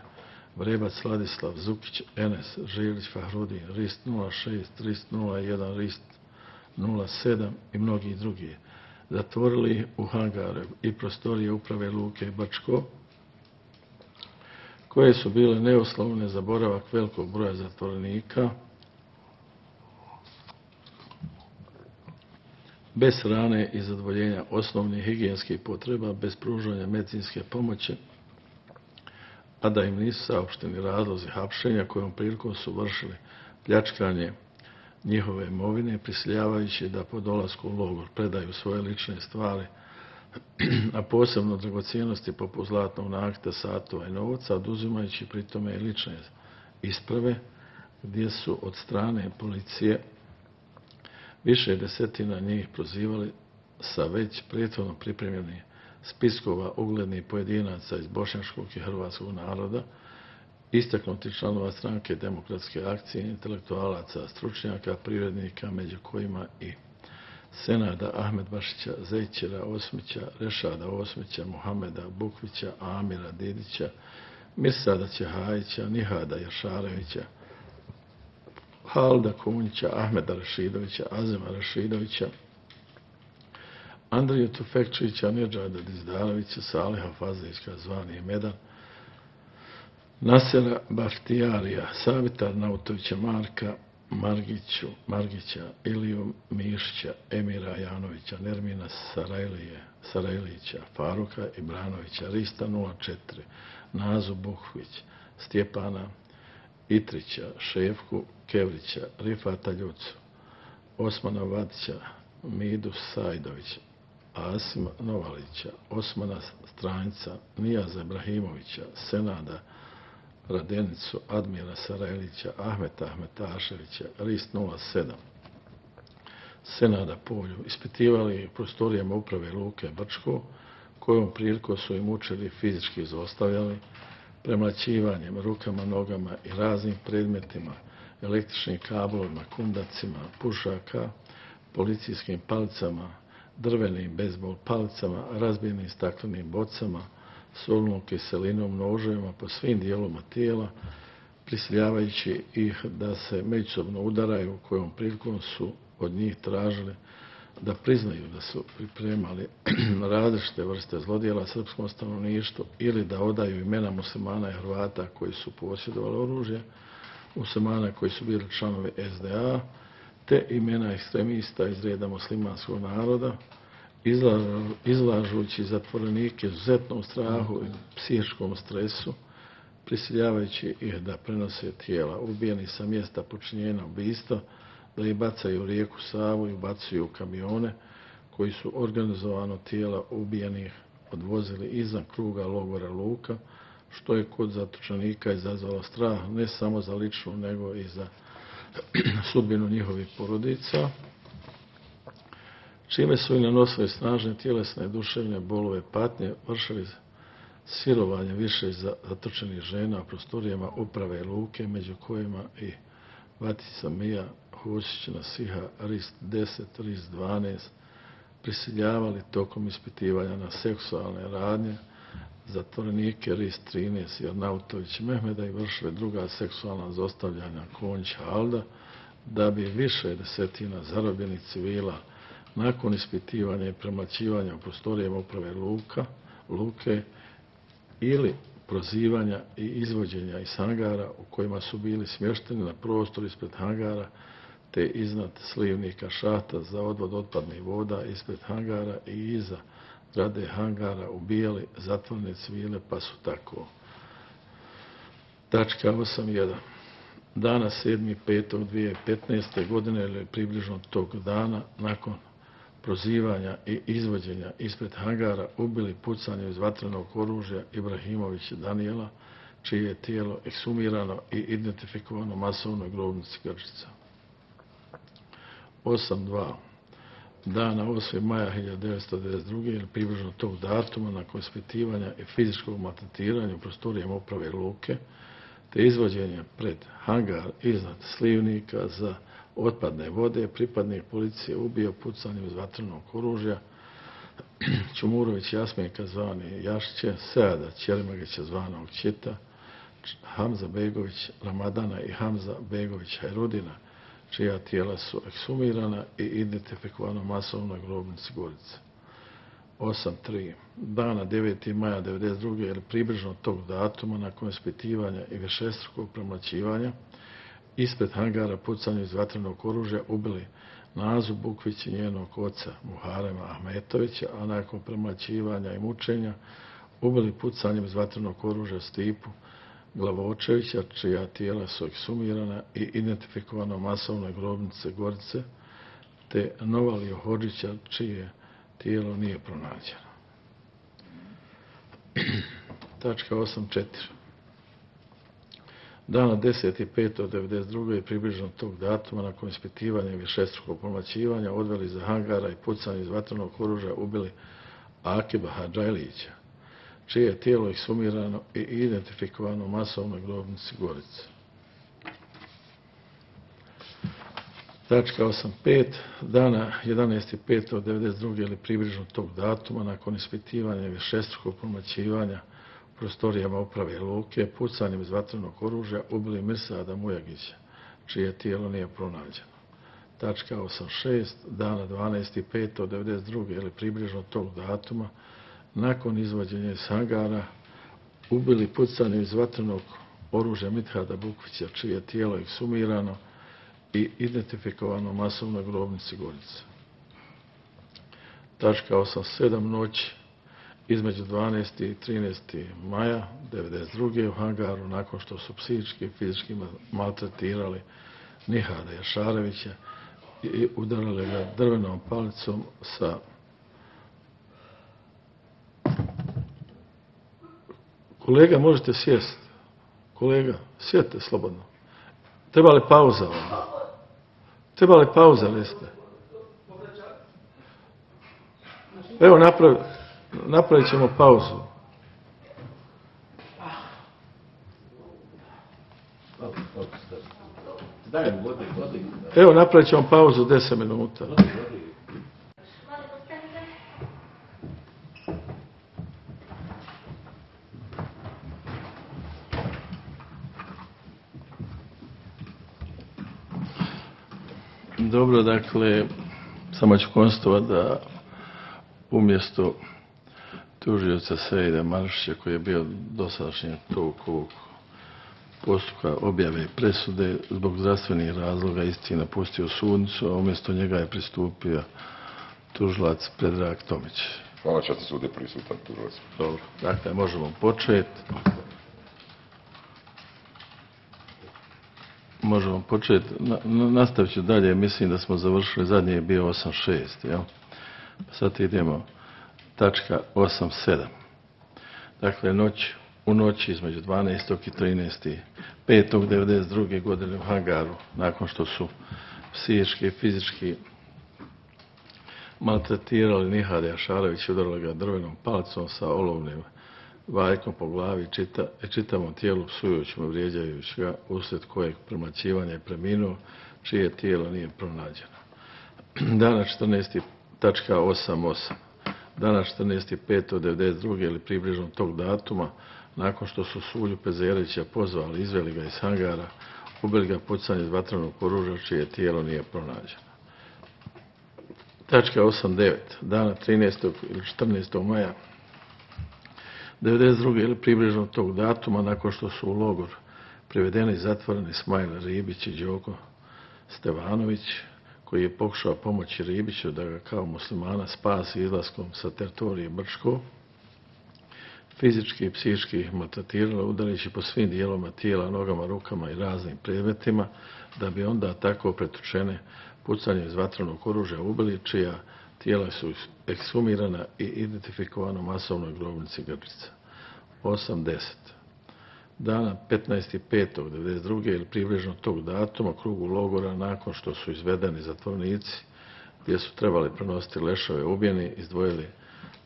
Vrebac Ladislav, Zukić Enes, Žilić Fahrudin, Rist nula šest, Rist nula jedan, Rist nula sedam i mnogi drugi. Zatvorili u hangare i prostorije uprave Luke Brčko, koje su bile neuslovne za boravak velikog broja zatvorenika, bez hrane i zadovoljenja osnovnih higijenskih potreba, bez pružanja medicinske pomoći, a da im nisu saopšteni razlozi hapšenja kojom prilikom su vršili pljačkanje njihove imovine, prisiljavajući da po dolasku u logor predaju svoje lične stvari, a posebno dragocjenosti poput zlatnog nakita, satova i novaca, oduzimajući pritome i lične isprave, gdje su od strane policije više desetina njih prozivali sa već prethodno pripremljenih spiskova uglednih pojedinaca iz bošnjačkog i hrvatskog naroda, istaknuti članova stranke Demokratske akcije, intelektualaca, stručnjaka, privrednika, među kojima i Senada Ahmedbašića, Zejćera Osmića, Rešada Osmića, Muhameda Bukvića, Amira Didića, Mirsada Ćehajića, Nihada Jašarevića, Halda Kunjića, Ahmeda Rašidovića, Azema Rašidovića, Andriju Tufekčića, Nedžada Dizdalovića, Saliha Fazlićka, zvani Medan, Nasera Baftijarija, Savitar Nautovića, Marka Margiću, Margića, Iliju Mišića, Emira Janovića, Nermina Sarajlije, Sarajlića, Faruka Ibranovića, Rista nula četiri, Nazu Bukvić, Stjepana Itrića, Šefku Kevrića, Rifata Ljucu, Osmana Vatića, Midu Sajdovića, Asima Novalića, Osmana Stranjca, Nijaza Ibrahimovića, Senada Radenicu, Admira Sarajlića, Ahmeta Ahmetaševića, Rist nula sedam, Senada Polju, ispitivali u prostorijama uprave Luke Brčko, kojom prilikom su im učili fizički izostavljali, premlaćivanjem rukama, nogama i raznim predmetima, električnim kablovima, kundacima, pušaka, policijskim palicama, drvenim bejzbol palicama, razbijenim staklenim bocama, solnom kiselinom, noževima po svim dijelovima tijela, prisiljavajući ih da se međusobno udaraju, kojom prilikom su od njih tražili da priznaju da su pripremali različite vrste zlodjela srpskom stanovništvu ili da odaju imena muslimana i Hrvata koji su posjedovali oružje, muslimana koji su bili članovi es de a, te imena ekstremista iz reda muslimanskog naroda, izlažujući zatvorenike izuzetnom strahu i psihičkom stresu, prisiljavajući ih da prenose tijela ubijeni sa mjesta počinjenja ubistva, da ih bacaju u rijeku Savu i ubacuju u kamione koji su organizovano tijela ubijenih odvozili izvan kruga logora Luka, što je kod zatočenika izazvalo strah ne samo za ličnu nego i za sudbinu njihovih porodica, čime su i nanosili snažne tjelesne, duševne bolove, patnje, vršili silovanje više zatočenih žena u prostorijama uprave Luke, među kojima i Vatica Mija, Husić Nasiha, Rist deset, Rist dvanaest, prisiljavali tokom ispitivanja na seksualne radnje zatvorenike Rist trinaest i Arnautović Mehmeda i vršili druga seksualna zlostavljanja Konjić Halda, da bi više desetina zarobljenih civila nakon ispitivanja i premlaćivanja u prostorijama uprave Luka, Luke ili prozivanja i izvođenja iz hangara u kojima su bili smješteni na prostor ispred hangara te iznad slivnika šahta za odvod otpadnih voda ispred hangara i iza grade hangara ubijali zatvorene civile, pa su tako. Tačka osam jedan. Dana sedmog petog dvije tisuće petnaeste. godine ili približno tog dana nakon prozivanja i izvođenja ispred hangara ubili pucanjem iz vatrenog oružja Ibrahimovića Danijela, čije je tijelo eksumirano i identifikovano masovnoj grobnici Grčica. osam dva. Dana osmog maja hiljadu devetsto devedeset druge. ili približno tog datuma nakon ispitivanja i fizičkog maltretiranja u prostorijama uprave Luke, te izvođenje pred hangar iznad slivnika za otpadne vode, pripadnik policije ubio pucanjem iz vatrenog oružja Čumurović Jasminka zvani Jašića, Seada Ćelimagića zvanog Čita, Hamza Begović Ramadana i Hamza Begović Hajrudina, čija tijela su eksumirana i identifikovana masovno na grobnici Gorice. osam tri. Dana devetog maja devedeset druge ili približno tog datuma nakon ispitivanja i višestrukog premlaćivanja ispred hangara pucanjem iz vatrenog oružja ubili Nazu Bukvić i njenog oca Muharema Ahmetovića, a nakon premlaćivanja i mučenja ubili pucanjem iz vatrenog oružja Stipu Glavočevića, čija tijela su eksumirana i identifikovano masovnoj grobnice Gorice, te Novaliju Hodžića, čije tijelo nije pronađeno. Tačka osam četiri. Dana desetog petog devedeset druge i približno tog datuma nakon ispitivanja i višestrukog premlaćivanja odveli za hangara i pucanje iz vatrenog oružja ubili Akiba Hadžajlića, čije je tijelo eksumirano i identifikovano masovnoj grobnici Gorice. Tačka osam pet. Dana jedanaestog petog devedeset druge ili približno tog datuma nakon ispitivanja i višestrukog premlaćivanja u prostorijama uprave luke pucanjem iz vatrenog oružja ubili Mirsada Mujagića, čije tijelo nije pronađeno. Tačka osam šest. Dana dvanaestog petog devedeset druge ili približno tog datuma nakon izvođenja iz hangara ubili pucanjem iz vatrenog oružja Mithada Bukvića, čije tijelo eksumirano i identifikovano masovnoj grobnici Gorice. Tačka osam sedam. Noć između dvanaestog i trinaestog maja devedeset druge u hangaru nakon što su psihički i fizički maltretirali Nihada Jašarevića i udarali ga drvenom palicom sa Kolega, možete sjest. Kolega, sjedite slobodno. Treba li pauza vam? Treba li pauza, liste? Evo, napravi, napravit ćemo pauzu. Evo, napravit ćemo pauzu deset minuta. Dobro, dakle, samo ću konstatovati da umjesto tužioca Sejida Maršića, koji je bio dosadašnji tog ovog postupka objave i presude, zbog zdravstvenih razloga isti napustio sudnicu, a umjesto njega je pristupio tužilac Predrag Tomić. Hvala, čast sud je prisutan tužilac. Dobro, dakle, možemo početi. Možemo početi. Nastavit ću dalje. Mislim da smo završili. Zadnji je bio osam šest. Jel? Sad idemo tačka osam sedam. Dakle, noć, u noći između dvanaestog i trinaestog petog devedeset druge godine u hangaru, nakon što su psihički i fizički maltretirali Nihada Jašarevića, udarali ga drvenom palicom sa olovnim vajkom po glavi čita, čitavom tijelu psujući mu, vrijeđajući ga, uslijed kojeg premlaćivanja je preminuo, čije tijelo nije pronađeno. Dana četrnaestog tačka osam osam. Dana četrnaestog petog devedeset druge ili približno tog datuma, nakon što su Sulju Pezerića pozvali, izveli ga iz hangara, ubili ga pucanje iz vatrenog oružja, čije tijelo nije pronađeno. Tačka osam devet. Dana trinaestog ili četrnaestog maja devedeset druge ili približno tog datuma, nakon što su u logor privedeni i zatvoreni Smajl Ribić i Đoko Stevanović, koji je pokušao pomoći Ribiću da ga kao muslimana spasi izlaskom sa teritorije Brčko, fizički i psihički maltretirala, udarići po svim dijelovima tijela, nogama, rukama i raznim predmetima, da bi onda tako pretučene pucanjem iz vatrenog oružja ubili, čija tijela su eksumirana i identifikovana u masovnoj grobnici Grčica. osam deset. Dana petnaestog petog devedeset druge ili približno tog datuma krugu logora, nakon što su izvedeni zatvornici gdje su trebali prenositi lešove ubijeni, izdvojili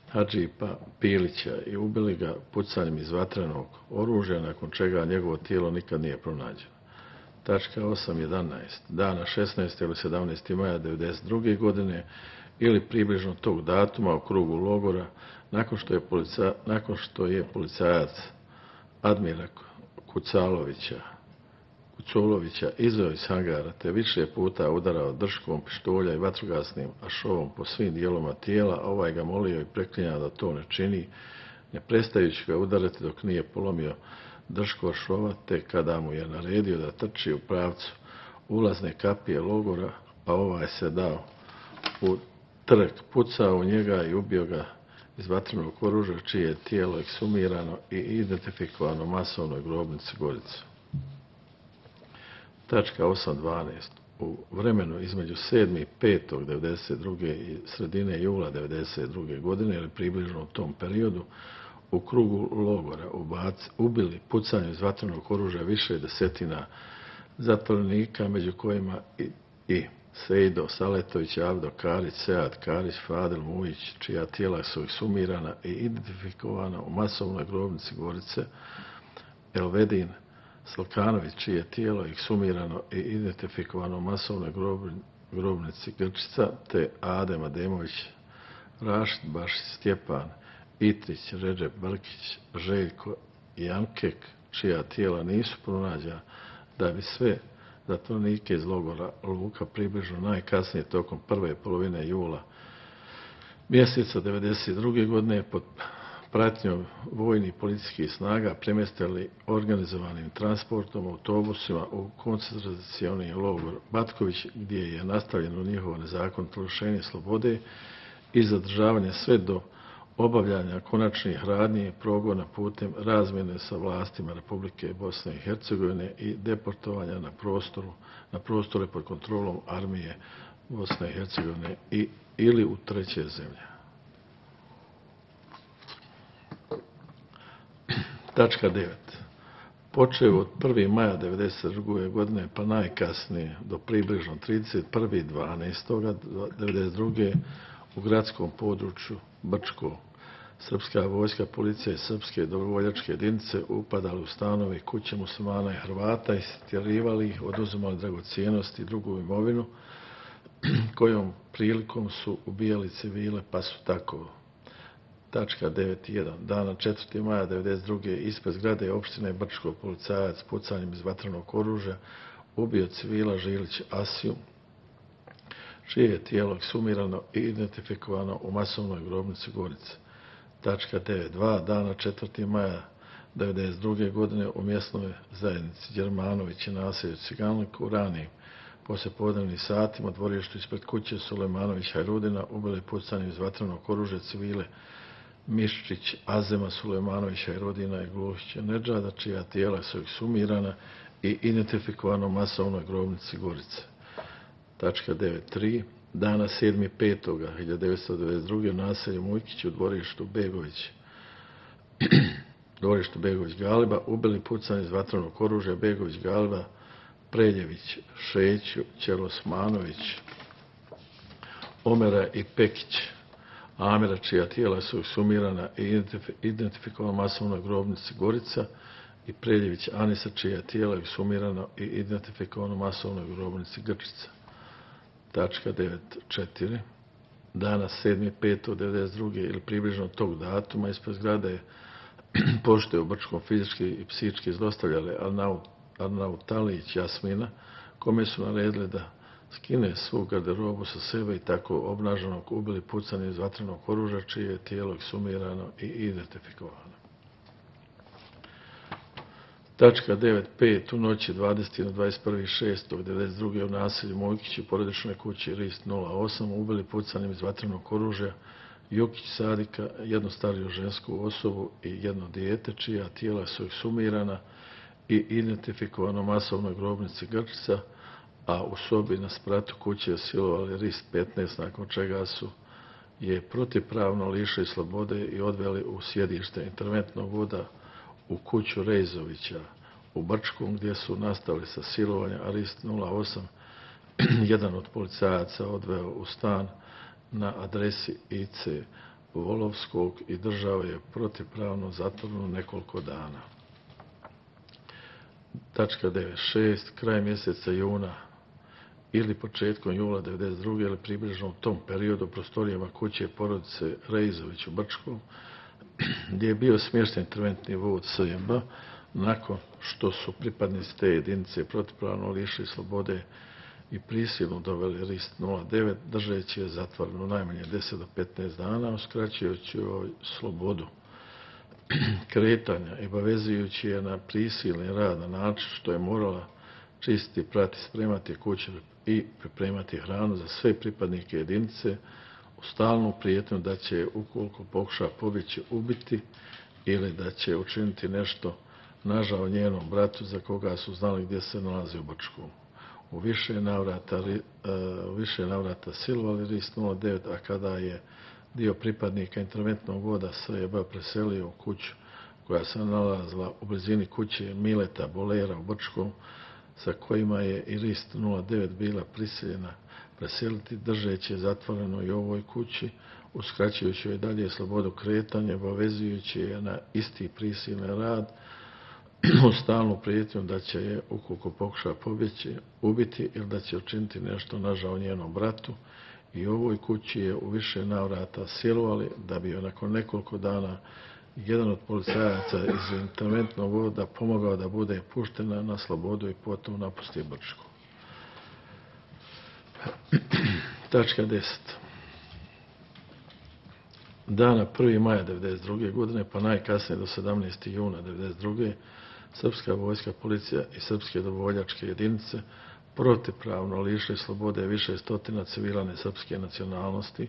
Hadžipa Pilića i ubili ga pucanjem iz vatrenog oružja, nakon čega njegovo tijelo nikad nije pronađeno. Tačka osam jedanaest. Dana šesnaestog ili sedamnaestog maja devedeset druge. godine ili približno tog datuma u krugu logora, nakon što je, polica, nakon što je policajac Admira Kucalovića, Kuculovića izveo iz hangara te više puta udarao drškom pištolja i vatrogasnim ašovom po svim dijelovima tijela, ovaj ga molio i preklinjao da to ne čini, ne prestajući ga udarati dok nije polomio dršku ašova, te kada mu je naredio da trči u pravcu ulazne kapije logora, pa ovaj se dao u trg, pucao u njega i ubio ga iz vatrenog oružja, čije je tijelo eksumirano i identifikovano masovnoj grobnici Gorica. Tačka osam dvanaest. U vremenu između sedmog petog devedeset druge. i sredine jula devedeset druge. godine ili približno u tom periodu u krugu logora ubac, ubili pucanjem iz vatrenog oružja više desetina zatvorenika, među kojima i, i Sejdo Saletović, Avdo Karić, Sead Karić, Fadil Mujić, čija tijela su eksumirana i identifikovana u masovnoj grobnici Gorice, Elvedin Salkanović, čije tijelo eksumirano i identifikovano u masovnoj grobnici Grčica, te Adem Ademović, Rašid Bašić, Stjepan Itrić, Redžep Brkić, Željko Jankek, čija tijela nisu pronađena, da bi sve zatvorenike iz logora Luka približno najkasnije tokom prve polovine jula mjeseca devedeset druge. godine pod pratnjom vojnih policijskih snaga premjestili organizovanim transportom autobusima u koncentracioni logor Batković, gdje je nastavljeno njihovo nezakonito lišenje slobode i zadržavanje sve do obavljanja konačnih radnji progona putem razmjene sa vlastima Republike Bosne i Hercegovine i deportovanja na prostoru na prostore pod kontrolom armije Bosne i Hercegovine i ili u treće zemlje. Tačka devet. Počeo od prvog maja devedeset druge. godine pa najkasnije do približno trideset prvog dvanaestog devedeset druge. u gradskom području Brčko srpska vojska, policija i srpske dobrovoljačke jedinice upadali u stanove i kuće muslimana i Hrvata i stjerivali ih, oduzimali dragocijenosti i drugu imovinu, kojom prilikom su ubijali civile, pa su tako. Tačka devet jedan. Dana četvrtog maja devedeset druge. ispred zgrade opštine Brčko policajac pucanjem iz vatrenog oružja ubio civila Žilić Asiju, čije je tijelo eksumirano i identifikovano u masovnoj grobnici Gorice. Tačka devet dva. Dana četvrtog maja devedeset druge. godine u mjesnoj zajednici Đermanović i naselju Ciganlik u ranijim poslijepodnevnim satima u dvorištu ispred kuće Sulejmanović Hajrudina ubili pucanjem iz vatrenog oružja civile Miščić Azema Sulejmanović Hajrudina i Glušića Nedžada, čija tijela su eksumirana i identifikovano u masovnoj grobnici Gorice. Tačka devet tri. Dana sedmog petog hiljadu devetsto devedeset druge. u naselju Mujkić u dvorištu Begović dvorištu Begović Galiba ubili pucanjem iz vatrenog oružja Begović Galiba, Preljević Šeću, Ćelosmanović, Omera i Pekić Amira, čija tijela su eksumirana i identifikovana masovnoj grobnici Gorica, i Preljević Anisa, čija tijela je eksumirano i identifikovano masovnoj grobnici Grčica. Tačka devet četiri. Dana sedmog petog devedeset druge. ili približno tog datuma ispred zgrade pošte u Brčkom fizički i psihički zlostavljali Arnautalić Jasmina, kome su naredili da skine svu garderobu sa sebe i tako obnaženog ubili pucanjem iz vatrenog oružja, čije je tijelo eksumirano i identifikovano. Tačka devet pet. U noći dvadesetog na dvadeset prvi šestog devedeset druge. u naselju Mojkić u porodičnoj kući Rist nula osam ubili pucanjem iz vatrenog oružja Jukić Sadika, jednu stariju žensku osobu i jedno dijete, čija tijela su eksumirana i identifikovano masovnoj grobnici Grčica, a u sobi na spratu kuće silovali Rist petnaest, nakon čega su je protivpravno lišili slobode i odveli u sjedište interventnog voda u kuću Rejzovića u Brčkom, gdje su nastavili sa silovanjem, a Rist nula osam jedan od policajaca odveo u stan na adresi I C Volovskog i držao je protivpravno zatvoreno nekoliko dana. Tačka devet šest. Kraj mjeseca juna ili početkom jula devedeset druge ili približno u tom periodu u prostorijama kuće porodice Reizović u Brčkom, gdje je bio smješten interventni vod S J B, nakon što su pripadnici te jedinice protivpravno lišili slobode i prisilno doveli RIST nula devet, držeći je zatvoreno najmanje deset do petnaest dana, uskraćujući joj slobodu kretanja i obavezujući je na prisilni rad na način što je morala čistiti, prati, spremati kuće i pripremati hranu za sve pripadnike jedinice, u stalnu prijetnju da će, ukoliko pokuša pobjeći, ubiti ili da će učiniti nešto nažao njenom bratu za koga su znali gdje se nalazi u Brčkom. U više navrata, u više navrata silovali RIST nula devet, a kada je dio pripadnika interventnog voda S J B preselio u kuću koja se nalazila u blizini kuće Mileta Bolera u Brčkom, sa kojima je i RIST nula devet bila prisiljena preseliti, držeći je zatvoreno i u ovoj kući, uskraćujući joj dalje slobodu kretanja, obavezujući je na isti prisilni rad, u stalnu prijetnju da će je, ukoliko pokuša pobjeći, ubiti ili da će učiniti nešto nažao njenom bratu, i u ovoj kući je u više navrata silovali da bi joj nakon nekoliko dana jedan od policajaca iz interventnog voda pomogao da bude puštena na slobodu i potom napusti Brčko. Tačka deset. Dana prvog maja devedeset druge godine pa najkasnije do sedamnaestog juna devedeset druge srpska vojska, policija i srpske dobrovoljačke jedinice protivpravno lišili slobode više stotina civila nesrpske nacionalnosti,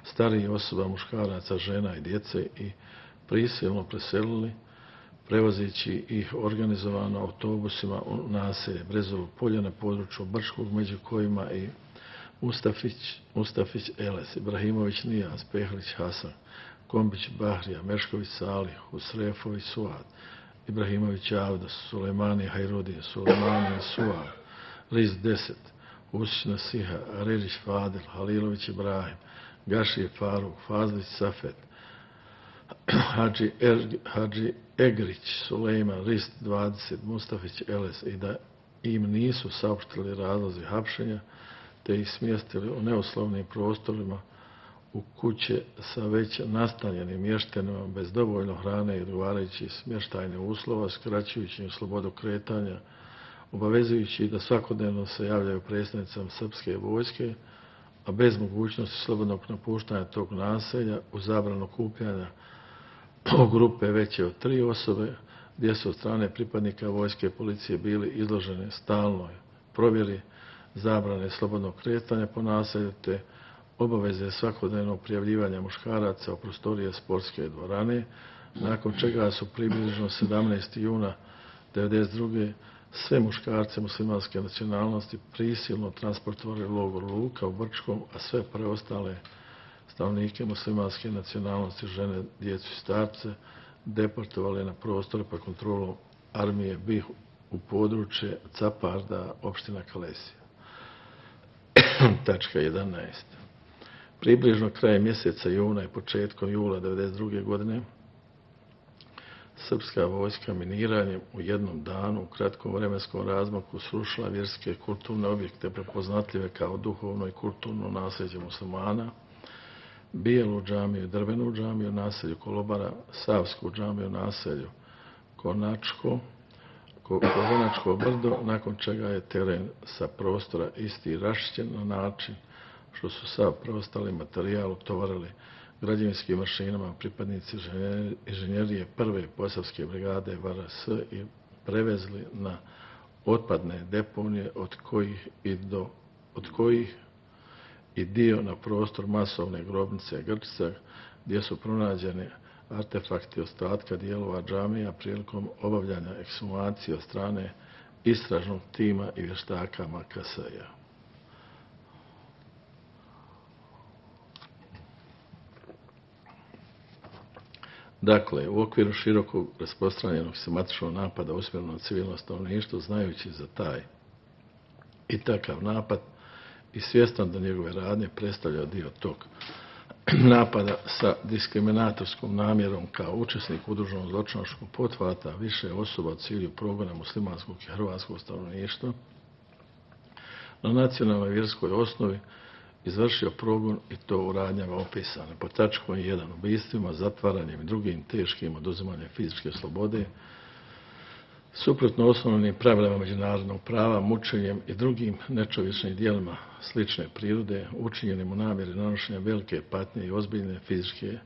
starijih osoba, muškaraca, žena i djece i prisilno preselili, prevozeći ih organizovano autobusima u naselje Brezovo polje na području Brčkog, među kojima i Mustafić, Mustafić Eles, Ibrahimović Nijaz, Pehlić Hasan, Kombić Bahrija, Mešković Salih, Husrefović Suad, Ibrahimović Avda, Sulejmani Hajrudin, Sulejmani Suad, Riz deset, Usić Nasiha, Arelić Fadil, Halilović Ibrahim, Gašije Faruk, Fazlić Safet, Hadži, er, Hadži Egrić, Sulejman, Rist dvadeset, Mustafić Eles, i da im nisu saopštili razlozi hapšenja, te ih smjestili u neuslovnim prostorima u kuće sa već nastanjenim mještenima bez dovoljno hrane i odgovarajućih smještajnih uslova, skraćujući im slobodu kretanja, obavezujući da svakodnevno se javljaju predstavnicama srpske vojske, a bez mogućnosti slobodnog napuštanja tog naselja, u zabranu kupljanja u grupe veće od tri osobe, gdje su od strane pripadnika vojske i policije bili izloženi stalnoj provjeri, zabrane slobodnog kretanja po naselju, te obaveze svakodnevnog prijavljivanja muškaraca u prostorije sportske dvorane, nakon čega su približno sedamnaestog juna devedeset druge sve muškarce muslimanske nacionalnosti prisilno transportovali u logor Luka u Brčkom, a sve preostale stanovnike muslimanske nacionalnosti, žene, djecu i starce, deportovali na prostore pod kontrolom armije B I H u područje Caparda, opština Kalesija. Tačka jedanaest. Približno krajem mjeseca juna i početkom jula devedeset druge godine srpska vojska miniranjem u jednom danu u kratkom vremenskom razmaku srušila vjerske kulturne objekte prepoznatljive kao duhovno i kulturno nasljeđe muslimana, Bijelu džamiju, Drvenu džamiju, naselju Kolobara, Savsku džamiju, naselju Konačko, Konačko brdo, nakon čega je teren sa prostora isti rašćen na način što su sav preostali materijal utovarili građevinskim mašinama pripadnici inženjerije prve posavske brigade V R S i prevezli na otpadne deponije, od kojih i, do, od kojih i dio na prostor masovne grobnice Grčica, gdje su pronađeni artefakti ostatka dijelova džamija prilikom obavljanja ekshumacije od strane istražnog tima i vještaka M K S-a. Dakle, u okviru širokog rasprostranjenog sistematičnog napada usmjerenog na civilno stanovništvo, znajući za taj i takav napad i svjestan da njegove radnje predstavlja dio tog napada sa diskriminatorskom namjerom kao učesnik udruženog zločinačkog pothvata više osoba u cilju progona muslimanskog i hrvatskog stanovništva na nacionalnoj vjerskoj osnovi izvršio progon i to u radnjama opisane pod tačkom jedan ubistvima, zatvaranjem i drugim teškim oduzimanjem fizičke slobode, suprotno osnovnim pravilima međunarodnog prava, mučenjem i drugim nečovječnim djelima slične prirode, učinjenim u namjeri nanošenja velike patnje i ozbiljne fizičke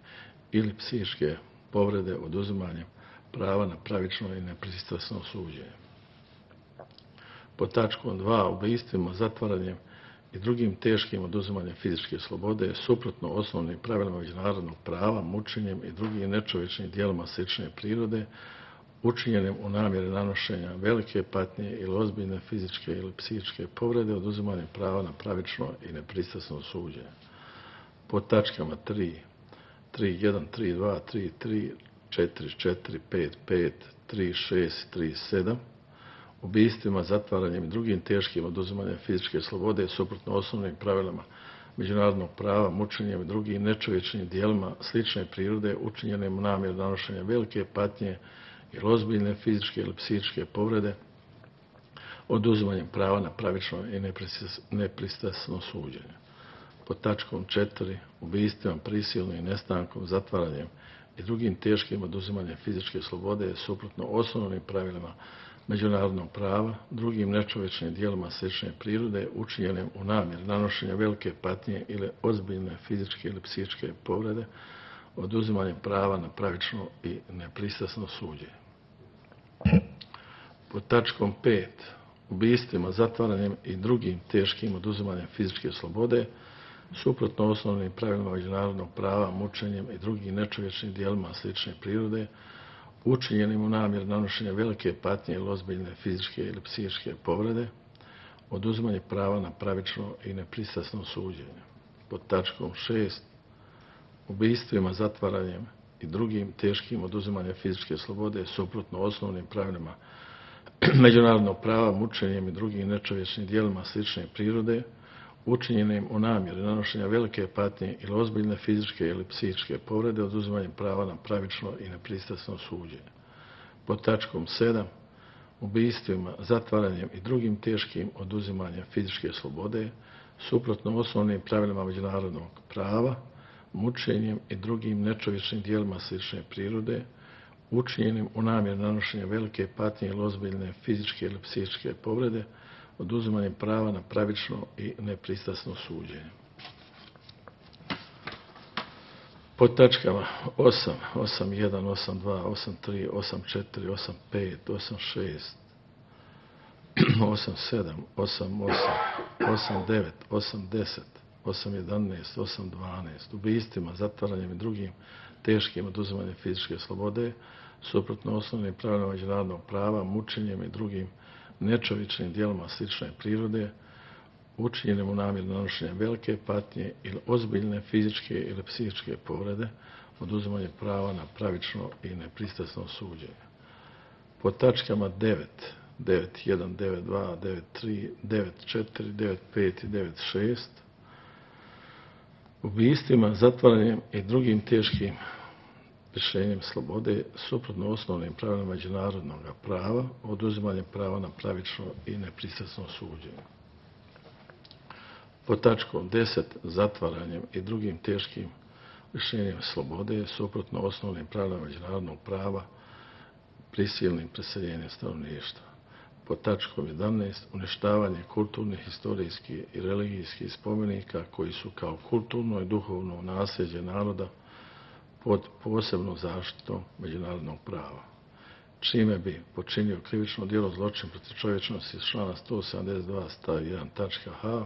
ili psihičke povrede oduzimanjem prava na pravično i nepristrasno suđenje. Pod tačkom dva ubistvima, zatvaranjem i drugim teškim oduzimanjem fizičke slobode, suprotno osnovnim pravilima međunarodnog prava, mučenjem i drugim nečovječnim djelima slične prirode, učinjenim u namjeri nanošenja velike patnje ili ozbiljne fizičke ili psihičke povrede, oduzimanjem prava na pravično i nepristrasno suđenje. Pod tačkama tri, tri jedan, tri dva, tri tri, četiri četiri, pet pet, tri šest, tri sedam, ubistvima, zatvaranjem i drugim teškim oduzimanjem fizičke slobode, suprotno osnovnim pravilima međunarodnog prava, mučenjem i drugim nečovječnim djelima slične prirode, učinjenim u namjeri nanošenja velike patnje ili ozbiljne fizičke ili psihičke povrede, oduzimanjem prava na pravično i nepristrasno suđenje. Pod tačkom četiri ubistvima, prisilnim i nestankom, zatvaranjem i drugim teškim oduzimanjem fizičke slobode, suprotno osnovnim pravilima međunarodnog prava, drugim nečovječnim djelima slične prirode, učinjenim u namjeri nanošenja velike patnje ili ozbiljne fizičke ili psihičke povrede, oduzimanjem prava na pravično i nepristrasno suđenje. Pod tačkom pet ubistvima, zatvaranjem i drugim teškim oduzimanjem fizičke slobode, suprotno osnovnim pravilima međunarodnog prava, mučenjem i drugim nečovječnim djelima slične prirode, učinjenim u namjeri nanošenja velike patnje ili ozbiljne fizičke ili psihičke povrede, oduzimanje prava na pravično i nepristrasno suđenje. Pod tačkom šest ubistvima, zatvaranjem i drugim teškim oduzimanjem fizičke slobode, suprotno osnovnim pravilima međunarodnog prava, mučenjem i drugim nečovječnim djelima slične prirode, učinjenim u namjeri nanošenja velike patnje ili ozbiljne fizičke ili psihičke povrede, oduzimanjem prava na pravično i nepristrasno suđenje. Pod tačkom sedam ubistvima, zatvaranjem i drugim teškim oduzimanjem fizičke slobode, suprotno osnovnim pravilima međunarodnog prava, mučenjem i drugim nečovječnim djelima slične prirode, učinjenim u namjeri nanošenja velike patnje ili ozbiljne fizičke ili psihičke povrede, oduzimanjem prava na pravično i nepristrasno suđenje. Pod tačkama osam, osam jedan, osam dva, osam tri, osam četiri, osam pet, osam šest, osam sedam, osam osam, osam devet, osam deset, osam jedanaest, osam dvanaest, ubistvima, zatvaranjem i drugim teškim oduzimanjem fizičke slobode, suprotno osnovnim pravilima međunarodnog prava, mučenjem i drugim nečovječnim djelima slične prirode, učinjenim u namjeri nanošenja velike patnje ili ozbiljne fizičke ili psihičke povrede, oduzimanje prava na pravično i nepristrasno suđenje. Po tačkama devet, devet jedan, devet dva, devet tri, devet četiri, devet pet i devet šest, ubistvima, zatvaranjem i drugim teškim rješenjem slobode, suprotno osnovnim pravilima međunarodnog prava, oduzimanje prava na pravično i nepristrasno suđenje. Po tačkom deset, zatvaranjem i drugim teškim rješenjem slobode, suprotno osnovnim pravilima međunarodnog prava, prisilnim preseljenjem stanovništva. Po tačkom jedanaest, uništavanje kulturnih, historijskih i religijskih spomenika koji su kao kulturno i duhovno nasljeđe naroda pod posebnom zaštitom međunarodnog prava, čime bi počinio krivično djelo zločin protiv čovječnosti iz člana sto sedamdeset dva stav jedan tačka h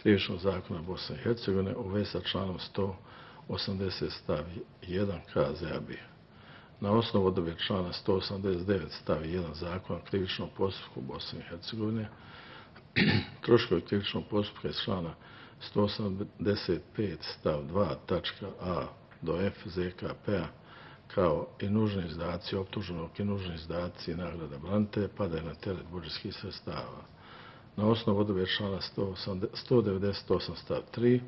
krivičnog zakona Bosne i Hercegovine u vezi sa članom sto osamdeset stav jedan K Z A B. Na osnovu odredbe člana sto osamdeset devet stav jedan zakona krivičnog postupka Bosne i Hercegovine, troškovi krivičnog postupka iz člana sto osamdeset pet stav dva tačka a do f Z K P-a kao i nužni izdaci optuženog i nužni izdaci nagrada branitelja padaju na teret budžetskih sredstava. Na osnovu odredbe člana sto devedeset osam stav tri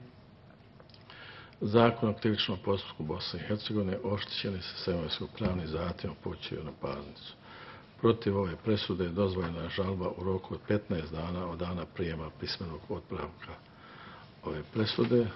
Zakon o krivičnom postupku Bosne i Hercegovine oštećeni se sa imovinsko-pravnim zahtjevom upućuju na parnicu. Protiv ove presude je dozvoljena žalba u roku od petnaest dana od dana prijema pismenog otpravka ove presude.